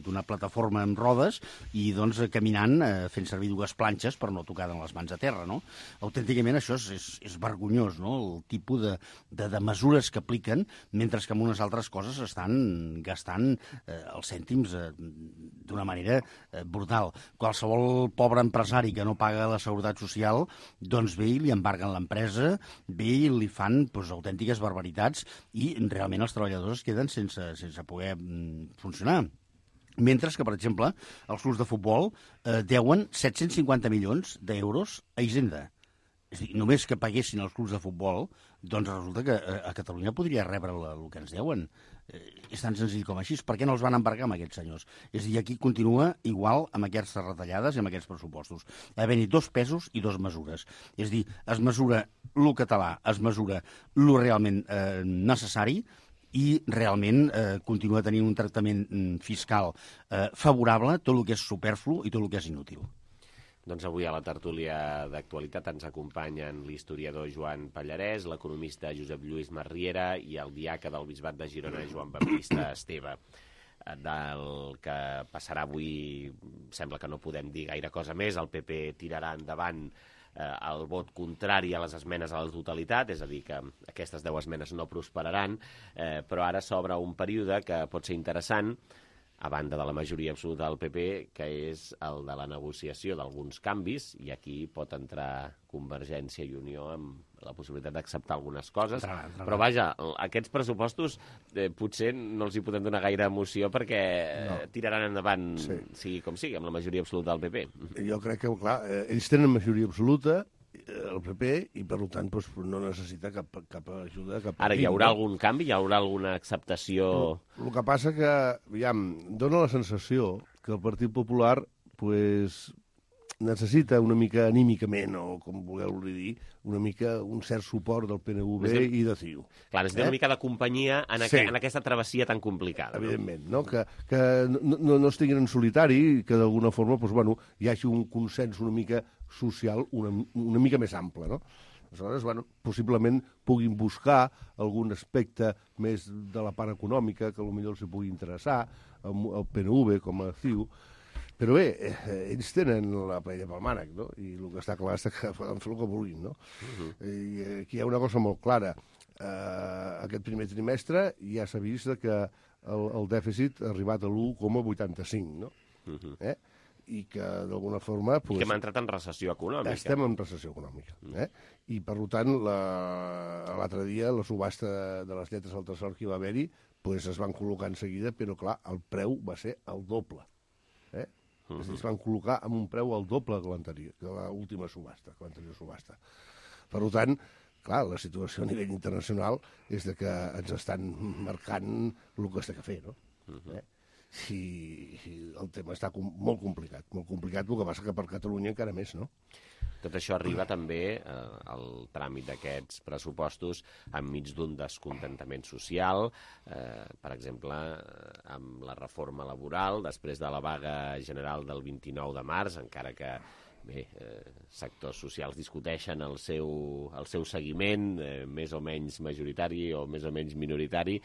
Speaker 13: d'una plataforma amb rodes i, doncs, caminant, fent servir dues planxes per no tocar les mans a terra, no? Autènticament això és vergonyós, no? El tipus de mesures que apliquen, mentre que amb unes altres coses estan gastant els cèntims d'una manera brutal. Qualsevol pobre empresari que no paga la seguretat social, doncs ve i li embarguen l'empresa, ve i li fan autèntiques barbaritats i realment els treballadors es queden sense poder funcionar. Mentre que, per exemple, els clubs de futbol deuen 750 milions d'euros a Hisenda. És a dir, només que paguessin els clubs de futbol, doncs resulta que a Catalunya podria rebre el que ens deuen. És tan senzill com així. Per què no els van embargar amb aquests senyors? És a dir, aquí continua igual amb aquestes retallades i amb aquests pressupostos. Havent-hi dos pesos i dos mesures. És a dir, es mesura lo català, es mesura lo realment necessari i realment continua tenint un tractament fiscal favorable tot el que és superflu i tot el que és inútil.
Speaker 2: Doncs avui a la tertúlia d'actualitat ens acompanyen l'historiador Joan Pallarès, l'economista Josep Lluís Marriera i el diaca del Bisbat de Girona, Joan Baptista Esteve. Del que passarà avui sembla que no podem dir gaire cosa més. El PP tirarà endavant el vot contrari a les esmenes a la totalitat, és a dir, que aquestes 10 esmenes no prosperaran, però ara s'obre un període que pot ser interessant, a banda de la majoria absoluta del PP, que és el de la negociació d'alguns canvis, i aquí pot entrar Convergència i Unió amb la possibilitat d'acceptar algunes coses. Però vaja, aquests pressupostos potser no els hi podem donar gaire emoció perquè tiraran endavant, sigui com sigui, amb la majoria absoluta del PP.
Speaker 14: Jo crec que, clar, ells tenen majoria absoluta, el PP, i per tant no necessita cap ajuda.
Speaker 2: Ara, hi haurà algun canvi? Hi haurà alguna acceptació?
Speaker 14: El que passa que, aviam, dona la sensació que el Partit Popular necessita una mica anímicament, o com vulgueu-li dir, un cert suport del PNV i de CiU.
Speaker 2: Clar, necessita una mica de companyia en aquesta travessia tan complicada.
Speaker 14: Evidentment, no? Que no estiguin en solitari i que d'alguna forma hi hagi un consens una mica social una mica més ample, no? Aleshores, possiblement puguin buscar algun aspecte més de la part econòmica que potser els pugui interessar, al PNV com a CiU. Però bé, ells tenen la paella pel mànec, no? I el que està clar és que poden fer el que vulguin, no? I aquí hi ha una cosa molt clara. Aquest primer trimestre ja s'ha vist que el dèficit ha arribat a l'1,85, no? I que d'alguna forma...
Speaker 2: I que hem entrat en recessió econòmica.
Speaker 14: Estem en recessió econòmica. I per tant, l'altre dia, la subhasta de les lletres al tresor que hi va haver-hi, es van col·locar en seguida, però clar, el preu va ser el doble. Es van col·locar amb un preu al doble que l'última subhasta, que l'anterior subhasta. Per tant, clar, la situació a nivell internacional és de que ens estan marcant el que s'ha de fer, no? I el tema està molt complicat, el que passa que per Catalunya encara més, no?
Speaker 2: Tot això arriba també al tràmit d'aquests pressupostos enmig d'un descontentament social, per exemple, amb la reforma laboral, després de la vaga general del 29 de març, encara que sectors socials discuteixen el seu seguiment, més o menys majoritari o més o menys minoritari,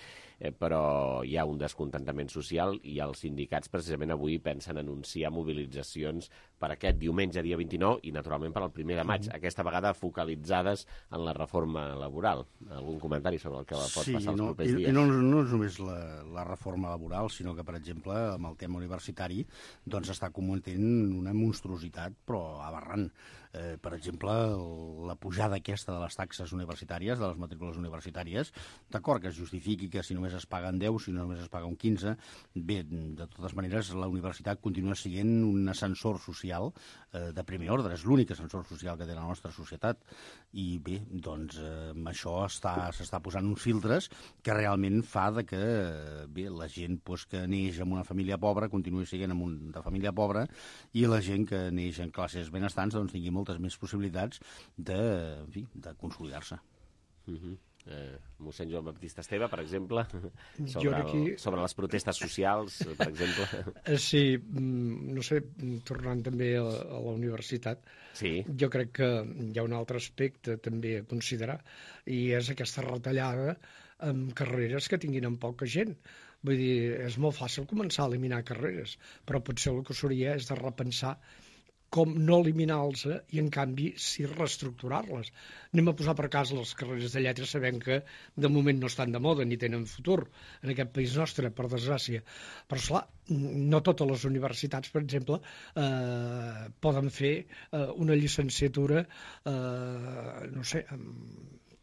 Speaker 2: però hi ha un descontentament social i els sindicats precisament avui pensen anunciar mobilitzacions per aquest diumenge, dia 29, i naturalment per al 1 de maig, aquesta vegada focalitzades en la reforma laboral. Algun comentari sobre el que pot passar els propers dies?
Speaker 13: No és només la reforma laboral, sinó que, per exemple, amb el tema universitari, doncs està cometent una monstruositat, però aberrant. Per exemple, la pujada aquesta de les taxes universitàries, de les matrícules universitàries, d'acord que es justifiqui que si només es paguen 10, si només es paga un 15, bé, de totes maneres, la universitat continua sent un ascensor social de primer ordre, és l'únic ascensor social que té la nostra societat, i bé, doncs amb això s'està posant uns filtres que realment fa que bé, la gent que neix en una família pobra continua sent de família pobra, i la gent que neix en classes benestants doncs tingui moltes més possibilitats de consolidar-se.
Speaker 2: Mossèn Joan Baptista Esteve, per exemple, sobre les protestes socials, per exemple.
Speaker 15: Sí, no sé, tornant també a la universitat, jo crec que hi ha un altre aspecte també a considerar, i és aquesta retallada amb carreres que tinguin en poca gent. Vull dir, és molt fàcil començar a eliminar carreres, però potser el que s'hauria és de repensar com no eliminar-los i, en canvi, sí reestructurar-les. Anem a posar per cas les carreres de lletres, sabem que de moment no estan de moda ni tenen futur en aquest país nostre, per desgràcia. Però, esclar, no totes les universitats, per exemple, poden fer una llicenciatura, no sé,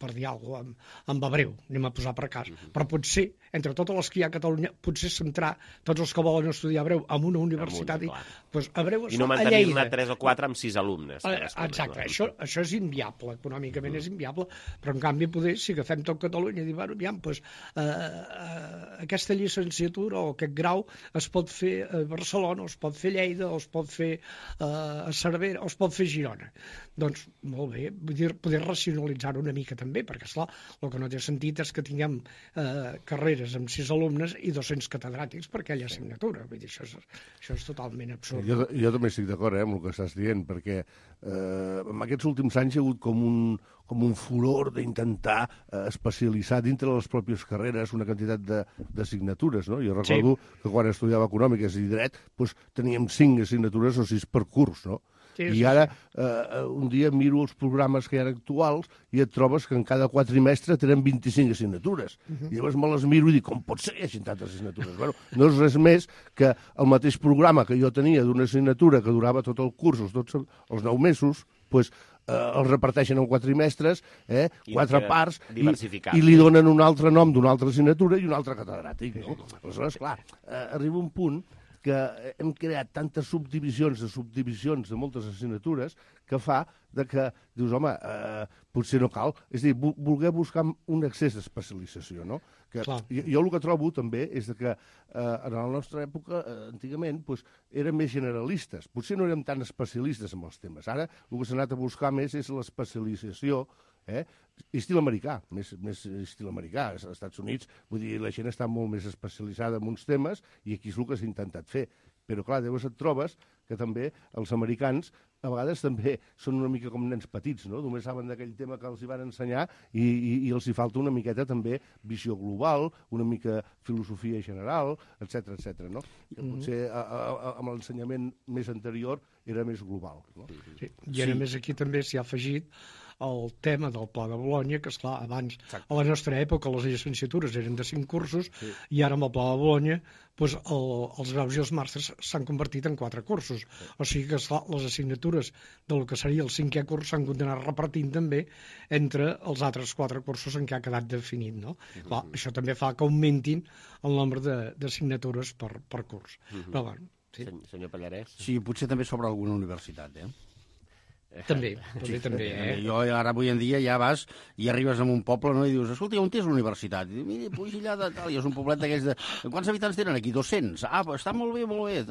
Speaker 15: per dir alguna cosa, amb hebreu, anem a posar per cas. Però potser, entre totes les que hi ha a Catalunya, potser centrar tots els que volen estudiar hebreu en una universitat, doncs hebreu es fa a Lleida.
Speaker 2: I no mantenir-ne 3 o 4 amb 6 alumnes.
Speaker 15: Exacte, això és inviable, econòmicament és inviable, però en canvi poder, si agafem tot Catalunya i dir, bueno, aviam, doncs aquesta llicenciatura o aquest grau es pot fer a Barcelona, o es pot fer a Lleida, o es pot fer a Cervera, o es pot fer a Girona. Doncs, molt bé, vull dir, poder racionalitzar-ho una mica també, perquè, esclar, el que no té sentit és que tinguem carreres amb 6 alumnes i 200 catedràtics per aquella assignatura. Vull dir, això és totalment absurd.
Speaker 14: Jo també estic d'acord amb el que estàs dient, perquè en aquests últims anys hi ha hagut com un furor d'intentar especialitzar dintre de les pròpies carreres una quantitat d'assignatures, no? Jo recordo que quan estudiava Econòmiques i Dret teníem 5 assignatures o 6 per curs, no? I ara, un dia miro els programes que hi ha actuals i et trobes que en cada quatrimestre tenen 25 assignatures. I llavors me les miro i dic, com pot ser que hi hagi tantes assignatures? Bueno, no és res més que el mateix programa que jo tenia d'una assignatura que durava tot el curs, els 9 mesos, doncs els reparteixen en quatrimestres, 4 parts, i li donen un altre nom d'una altra assignatura i un altre catedràtic. Aleshores, clar, arriba un punt que hem creat tantes subdivisions de moltes assignatures que fa que dius, home, potser no cal. És a dir, voler buscar un excés d'especialització, no? Jo el que trobo també és que en la nostra època, antigament, érem més generalistes. Potser no érem tan especialistes en els temes. Ara el que s'ha anat a buscar més és l'especialització, estil americà, més estil americà. Als Estats Units, vull dir, la gent està molt més especialitzada en uns temes i aquí és el que s'ha intentat fer. Però, clar, llavors et trobes que també els americans a vegades també són una mica com nens petits, no? Només saben d'aquell tema que els hi van ensenyar i els hi falta una miqueta també visió global, una mica filosofia general, etc, no? Que potser amb l'ensenyament més anterior era més global, no?
Speaker 15: I a més aquí també s'hi ha afegit el tema del Pla de Bologna, que, esclar, abans, a la nostra època, les llicenciatures eren de 5 cursos, i ara amb el Pla de Bologna els graus i els màsters s'han convertit en 4 cursos. O sigui que, esclar, les assignatures del que seria el 5è curs s'han continuat repartint també entre els altres 4 cursos en què ha quedat definit, no? Clar, això també fa que augmentin el nombre d'assignatures per curs. Però, bueno,
Speaker 2: Senyor Pallarès?
Speaker 13: Sí, potser també sobre alguna universitat,
Speaker 15: També.
Speaker 13: Jo ara avui en dia ja vas i arribes a un poble, no, i dius, escolta, on és la universitat? I dius, mira, puix allà de tal, i és un poblet d'aquells de... Quants habitants tenen aquí? 200. Ah, està molt bé, molt bé.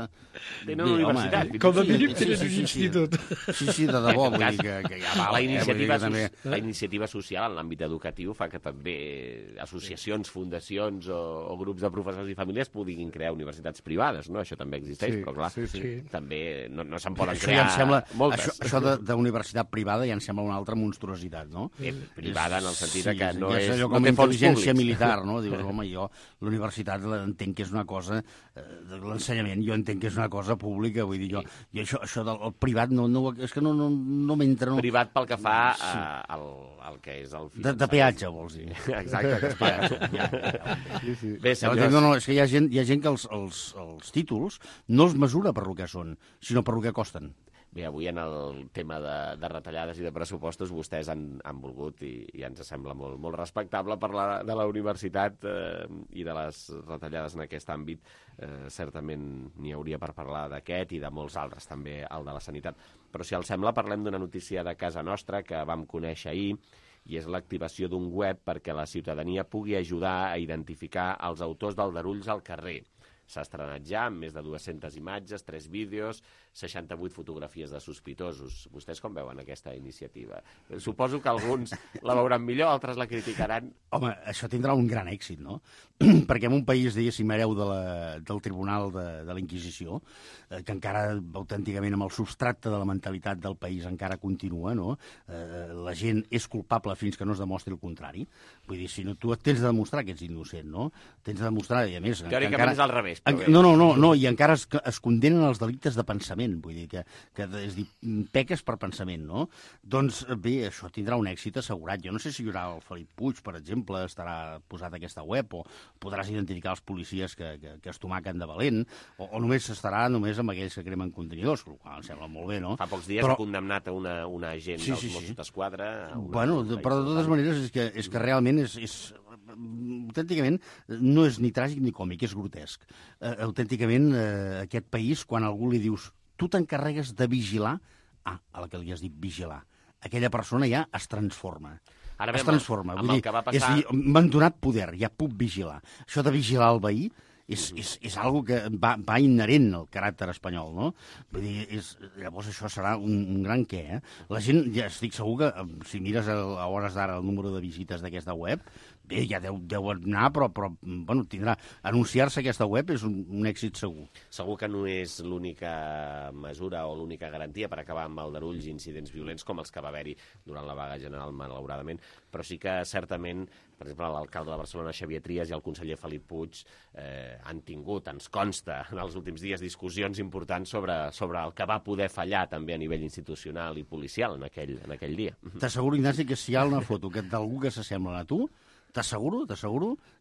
Speaker 2: Tenen una universitat.
Speaker 15: Com a mínim tenen un institut.
Speaker 13: Sí, de debò, vull dir que ja val.
Speaker 2: La iniciativa social en l'àmbit educatiu fa que també associacions, fundacions o grups de professors i famílies puguin crear universitats privades, no? Això també existeix, però clar, també no se'n poden crear moltes.
Speaker 13: Això d'universitat privada ja em sembla una altra monstruositat, no?
Speaker 2: Privada en el sentit que no
Speaker 13: és...
Speaker 2: és...
Speaker 13: allò com a intel·ligència militar, no? Dius, home, jo l'universitat entenc que és una cosa... L'ensenyament jo entenc que és una cosa pública, vull dir, jo això del privat és que no m'entra...
Speaker 2: Privat pel que fa al que és el...
Speaker 13: De peatge, vols dir.
Speaker 2: Exacte, que es paga.
Speaker 13: Bé, senyors... No, és que hi ha gent que els títols no els mesura per lo que són, sinó per lo que costen.
Speaker 2: Bé, avui en el tema de retallades i de pressupostos vostès han volgut, i ens sembla molt respectable, parlar de la universitat i de les retallades en aquest àmbit. Certament n'hi hauria per parlar d'aquest i de molts altres, també el de la sanitat. Però si els sembla, parlem d'una notícia de casa nostra que vam conèixer ahir, i és l'activació d'un web perquè la ciutadania pugui ajudar a identificar els autors d'aldarulls al carrer. S'ha estrenat ja amb més de 200 imatges, 3 vídeos, 68 fotografies de sospitosos. Vostès com veuen aquesta iniciativa? Suposo que alguns la veuran millor, altres la criticaran.
Speaker 13: Home, això tindrà un gran èxit, no? Perquè en un país, diguéssim, hereu del Tribunal de la Inquisició, que encara autènticament amb el substracte de la mentalitat del país encara continua, no? La gent és culpable fins que no es demostri el contrari. Vull dir, si no, tu tens de demostrar que ets innocent, no? Tens de demostrar, i a més...
Speaker 2: Teòricament és al revés.
Speaker 13: No, i encara es condenen els delictes de pensament, vull dir, que és dir, peques per pensament, no? Doncs bé, això tindrà un èxit assegurat. Jo no sé si hi haurà el Felip Puig, per exemple, estarà posat a aquesta web, o podràs identificar els policies que es tomaquen de valent, o només estarà només amb aquells que cremen contenidors, el qual em sembla molt bé, no?
Speaker 2: Fa pocs dies ha condemnat a una agent dels Mossos d'Esquadra.
Speaker 13: Bueno, però de totes maneres és que realment autènticament no és ni tràgic ni còmic, és grotesc. Autènticament, aquest país, quan algú li dius tu t'encarregues de vigilar, a la que li has dit vigilar, aquella persona ja es transforma.
Speaker 2: Ara bé,
Speaker 13: es transforma.
Speaker 2: Vull dir,
Speaker 13: m'han donat poder, ja puc vigilar. Això de vigilar el veí és algo que va inherent al caràcter espanyol, no? Vull dir, llavors això serà un gran què, eh? La gent, ja estic segur que, si mires a hores d'ara el número de visites d'aquesta web, bé, ja deu anar, però bueno, tindrà... Anunciar-se aquesta web és un èxit segur.
Speaker 2: Segur que no és l'única mesura o l'única garantia per acabar amb aldarulls i incidents violents com els que va haver-hi durant la vaga general, malauradament, però sí que certament, per exemple, l'alcalde de Barcelona, Xavier Trias, i el conseller Felip Puig han tingut, ens consta, en els últims dies, discussions importants sobre el que va poder fallar també a nivell institucional i policial en aquell dia.
Speaker 13: T'asseguro, Ignasi, que si hi ha una foto d'algú que s'assembla a tu, t'asseguro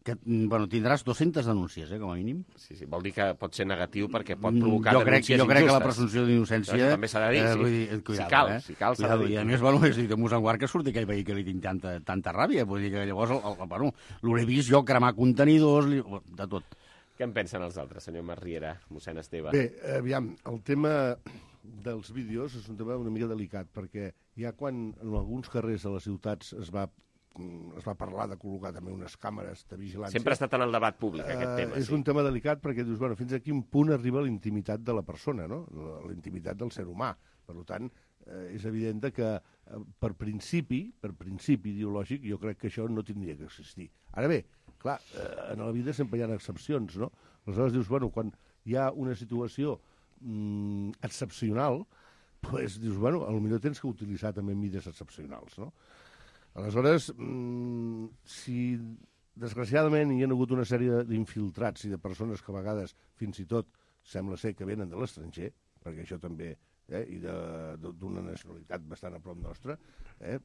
Speaker 13: que tindràs 200 denúncies, com a mínim.
Speaker 2: Sí, vol dir que pot ser negatiu perquè pot provocar denúncies injustes.
Speaker 13: Jo crec que la presumpció d'innocència...
Speaker 2: També s'ha de dir,
Speaker 13: sí.
Speaker 2: Si cal, s'ha de dir.
Speaker 13: I a més, bueno, és dir, de mossèn Guard que surti aquell veí que li tinc tanta ràbia. Vull dir que llavors, l'hauré vist jo cremar contenidors, de tot.
Speaker 2: Què en pensen els altres, senyor Masriera, mossèn Esteve?
Speaker 14: Bé, aviam, el tema dels vídeos és un tema una mica delicat, perquè ja quan en alguns carrers de les ciutats es va parlar de col·locar també unes càmeres de vigilància.
Speaker 2: Sempre ha estat en el debat públic, aquest tema.
Speaker 14: És un tema delicat perquè dius, bueno, fins a quin punt arriba la intimitat de la persona, no? La intimitat del ser humà. Per tant, és evident que per principi ideològic, jo crec que això no tindria que existir. Ara bé, clar, en la vida sempre hi ha excepcions, no? Aleshores dius, bueno, quan hi ha una situació excepcional, doncs dius, bueno, potser tens que utilitzar també mides excepcionals, no? Aleshores, si desgraciadament hi ha hagut una sèrie d'infiltrats i de persones que a vegades fins i tot sembla ser que venen de l'estranger, perquè això també, i d'una nacionalitat bastant a prop nostra,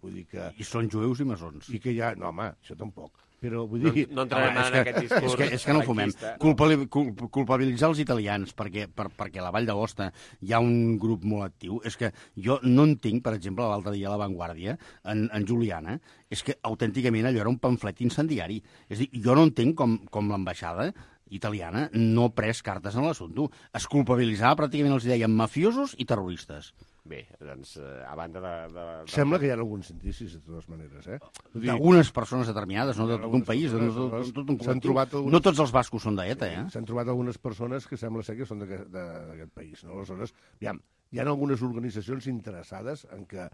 Speaker 14: vull dir que...
Speaker 13: I són jueus i maçons.
Speaker 14: I que ja... No, home, això tampoc. Però vull dir...
Speaker 2: No entrarem en aquest discurs.
Speaker 13: És que no fumem. Culpabilitzar els italians perquè a la Vall d'Agosta hi ha un grup molt actiu. És que jo no entenc, per exemple, l'altre dia a La Vanguardia, en Juliana, és que autènticament allò era un pamflet incendiari. És a dir, jo no entenc com l'ambaixada italiana no ha pres cartes en l'assumpte. Es culpabilitzava, pràcticament els deien mafiosos i terroristes.
Speaker 2: Bé, doncs, a banda de...
Speaker 14: Sembla que hi ha alguns indicis, de totes maneres,
Speaker 13: D'algunes persones determinades, no d'un país, de tot un col·lectiu. No tots els bascos són d'ETA,
Speaker 14: S'han trobat algunes persones que sembla ser que són d'aquest país, no? Aleshores, aviam, hi ha algunes organitzacions interessades en que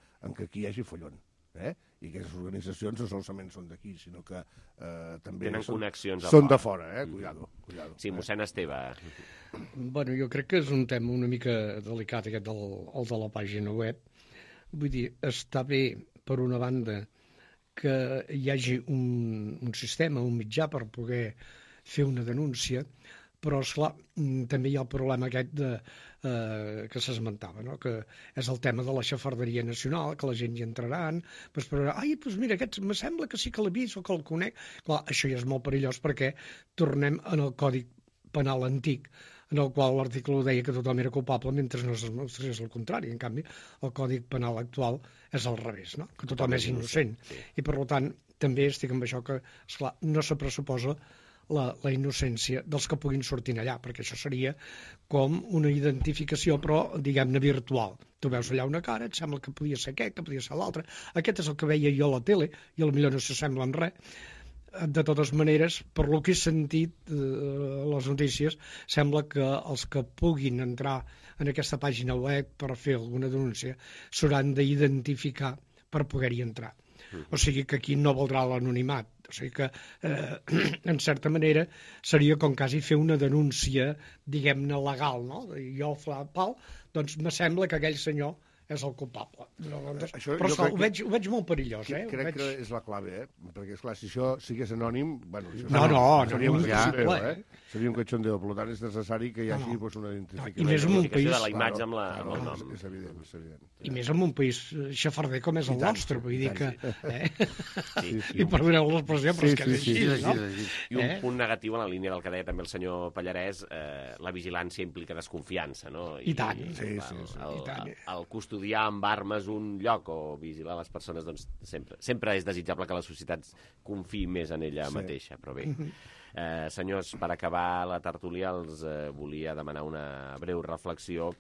Speaker 14: aquí hi hagi follon. I aquestes organitzacions no solament són d'aquí, sinó que també
Speaker 2: tenen connexions
Speaker 14: són de fora, cuidado.
Speaker 2: Sí, mossèn Esteve.
Speaker 15: Bueno, jo crec que és un tema una mica delicat, aquest el de la pàgina web. Vull dir, està bé, per una banda, que hi hagi un sistema, un mitjà per poder fer una denúncia, però, esclar, també hi ha el problema aquest que s'esmentava, no? Que és el tema de la xafarderia nacional, que la gent hi entraran, doncs mira, aquest me sembla que sí que l'he vist o que el conec. Clar, això ja és molt perillós perquè tornem en el Codi Penal antic, en el qual l'article 1 deia que tothom era culpable mentre no es demostrés el contrari. En canvi, el Codi Penal actual és al revés, no? Que tothom és innocent. I, per tant, també estic amb això que, esclar, no se pressuposa la innocència dels que puguin sortir allà, perquè això seria com una identificació, però, diguem-ne, virtual. Tu veus allà una cara, et sembla que podia ser aquest, que podia ser l'altre. Aquest és el que veia jo a la tele, i potser no s'assembla en res. De totes maneres, per lo que he sentit les notícies, sembla que els que puguin entrar en aquesta pàgina web per fer alguna denúncia s'hauran d'identificar per poder-hi entrar. O sigui que aquí no valdrà l'anonimat. O sigui que, en certa manera, seria com quasi fer una denúncia, diguem-ne, legal, no? Jo, Pau, doncs me sembla que aquell senyor és el culpable. Però ho veig molt perillós,
Speaker 14: Crec que és la clave, perquè, esclar, si això sigués anònim... Seria un cachondeo, per tant és necessari que hi hagi una identificació.
Speaker 15: I més en un país...
Speaker 2: de la imatge amb el nom.
Speaker 14: És evident, és evident.
Speaker 15: I més en un país xafarder com és el nostre, vull dir que... I perdoneu l'expressió, però és que és així, no?
Speaker 2: I un punt negatiu en la línia del que deia també el senyor Pallarès, la vigilància implica desconfiança, no?
Speaker 15: I tant.
Speaker 2: El custodiar amb armes un lloc o vigilar les persones, doncs sempre és desitjable que la societat confiï més en ella mateixa, però bé. Senyors, per acabar la tertúlia els volia demanar una breu reflexió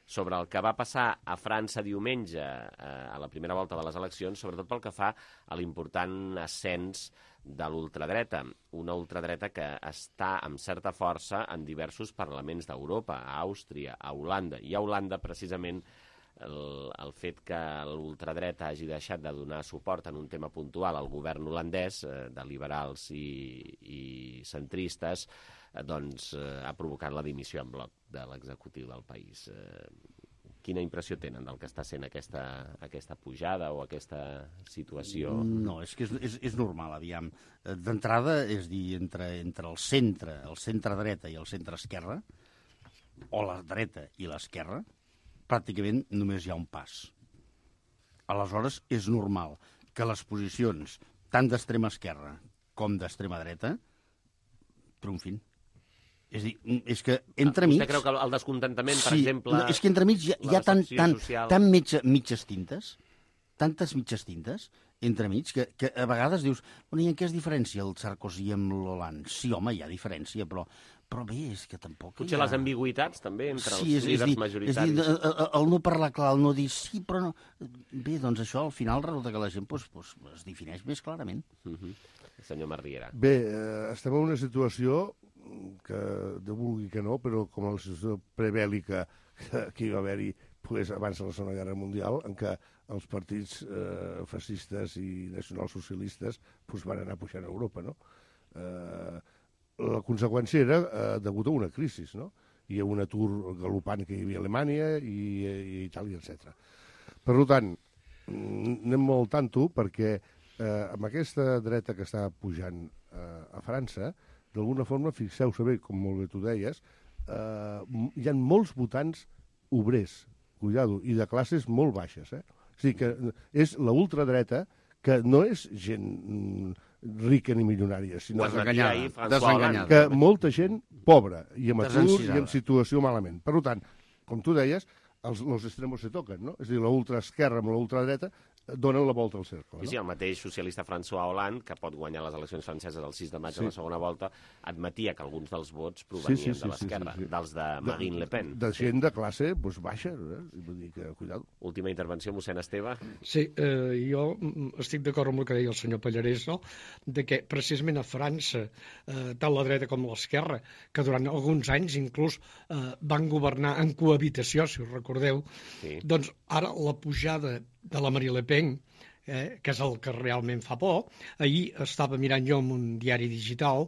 Speaker 2: sobre el que va passar a França diumenge a la primera volta de les eleccions, sobretot pel que fa a l'important ascens de l'ultradreta, una ultradreta que està amb certa força en diversos parlaments d'Europa, a Àustria, a Holanda, i a Holanda precisament el fet que l'ultradreta hagi deixat de donar suport en un tema puntual al govern holandès, de liberals i centristes, doncs ha provocat la dimissió en bloc de l'executiu del país. Quina impressió tenen del que està sent aquesta pujada o aquesta situació?
Speaker 13: No, és que és normal, aviam. D'entrada, és dir, entre el centre dreta i el centre esquerra, o la dreta i l'esquerra, pràcticament només hi ha un pas. Aleshores, és normal que les posicions tant d'extrema esquerra com d'extrema dreta triomfin. És a dir, és que entremig...
Speaker 2: Vostè creu que el descontentament, per exemple...
Speaker 13: És que entremig hi ha tant mitges tintes, tantes mitges tintes, entremig, que a vegades dius, bueno, i en què es diferencia el Sarkozy amb l'Hollande? Sí, home, hi ha diferència, però bé, és que tampoc...
Speaker 2: Potser les ambigüitats, també, entre els líders majoritaris.
Speaker 13: És dir, el no parlar clar, el no dir sí, però no... Bé, doncs això, al final, resulta que la gent es defineix més clarament.
Speaker 2: Senyor Marriera.
Speaker 14: Bé, estem en una situació que, de vulgui que no, però com la situació prebèl·lica que hi va haver-hi abans de la Segona Guerra Mundial, en què els partits fascistes i nacionalsocialistes van anar pujant a Europa, no? La conseqüència era degut a una crisi, no? Hi ha un atur galopant que hi havia a Alemanya i Itàlia, etc. Per tant, anem molt tanto perquè amb aquesta dreta que està pujant a França, d'alguna forma, fixeu-se bé, com molt bé tu deies, hi ha molts votants obrers, cuidado, i de classes molt baixes. O sigui que és la ultradreta que no és gent rica ni milionària, sinó que molta gent pobra i amb atur i en situació malament. Per tant, com tu deies, els extremos se toquen, no? És a dir, la ultraesquerra amb la ultradreta donen la volta al cercle.
Speaker 2: Sí, el mateix socialista François Hollande, que pot guanyar les eleccions franceses el 6 de maig a la segona volta, admetia que alguns dels vots provenien de l'esquerra, dels de Marine Le Pen.
Speaker 14: De gent de classe baixa, vull dir que, cuidado.
Speaker 2: Última intervenció, mossèn Esteve.
Speaker 15: Sí, jo estic d'acord amb el que deia el senyor Pallarès, no? De que precisament a França, tant la dreta com l'esquerra, que durant alguns anys inclús van governar en cohabitació, si us recordeu, doncs ara la pujada de la Marine Le Pen, que és el que realment fa por. Ahir estava mirant jo en un diari digital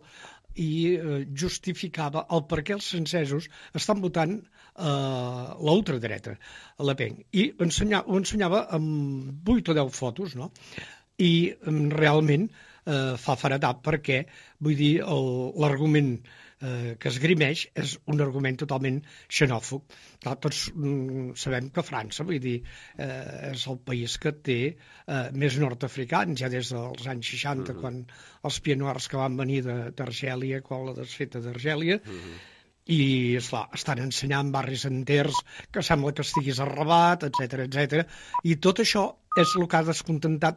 Speaker 15: i justificava el per què els francesos estan votant la ultradreta, Le Pen. I ho ensenyava amb 8 o 10 fotos, no? I realment fa feredat perquè, vull dir, l'argument que esgrimeix és un argument totalment xenòfob. Clar, tots sabem que França, vull dir, és el país que té més nord-africans, ja des dels anys 60, quan els pianoars que van venir d'Argèlia, quan la desfeta d'Argèlia, i, esclar, estan ensenyant barris enters que sembla que estiguis a Rabat, etc. I tot això és el que ha descontentat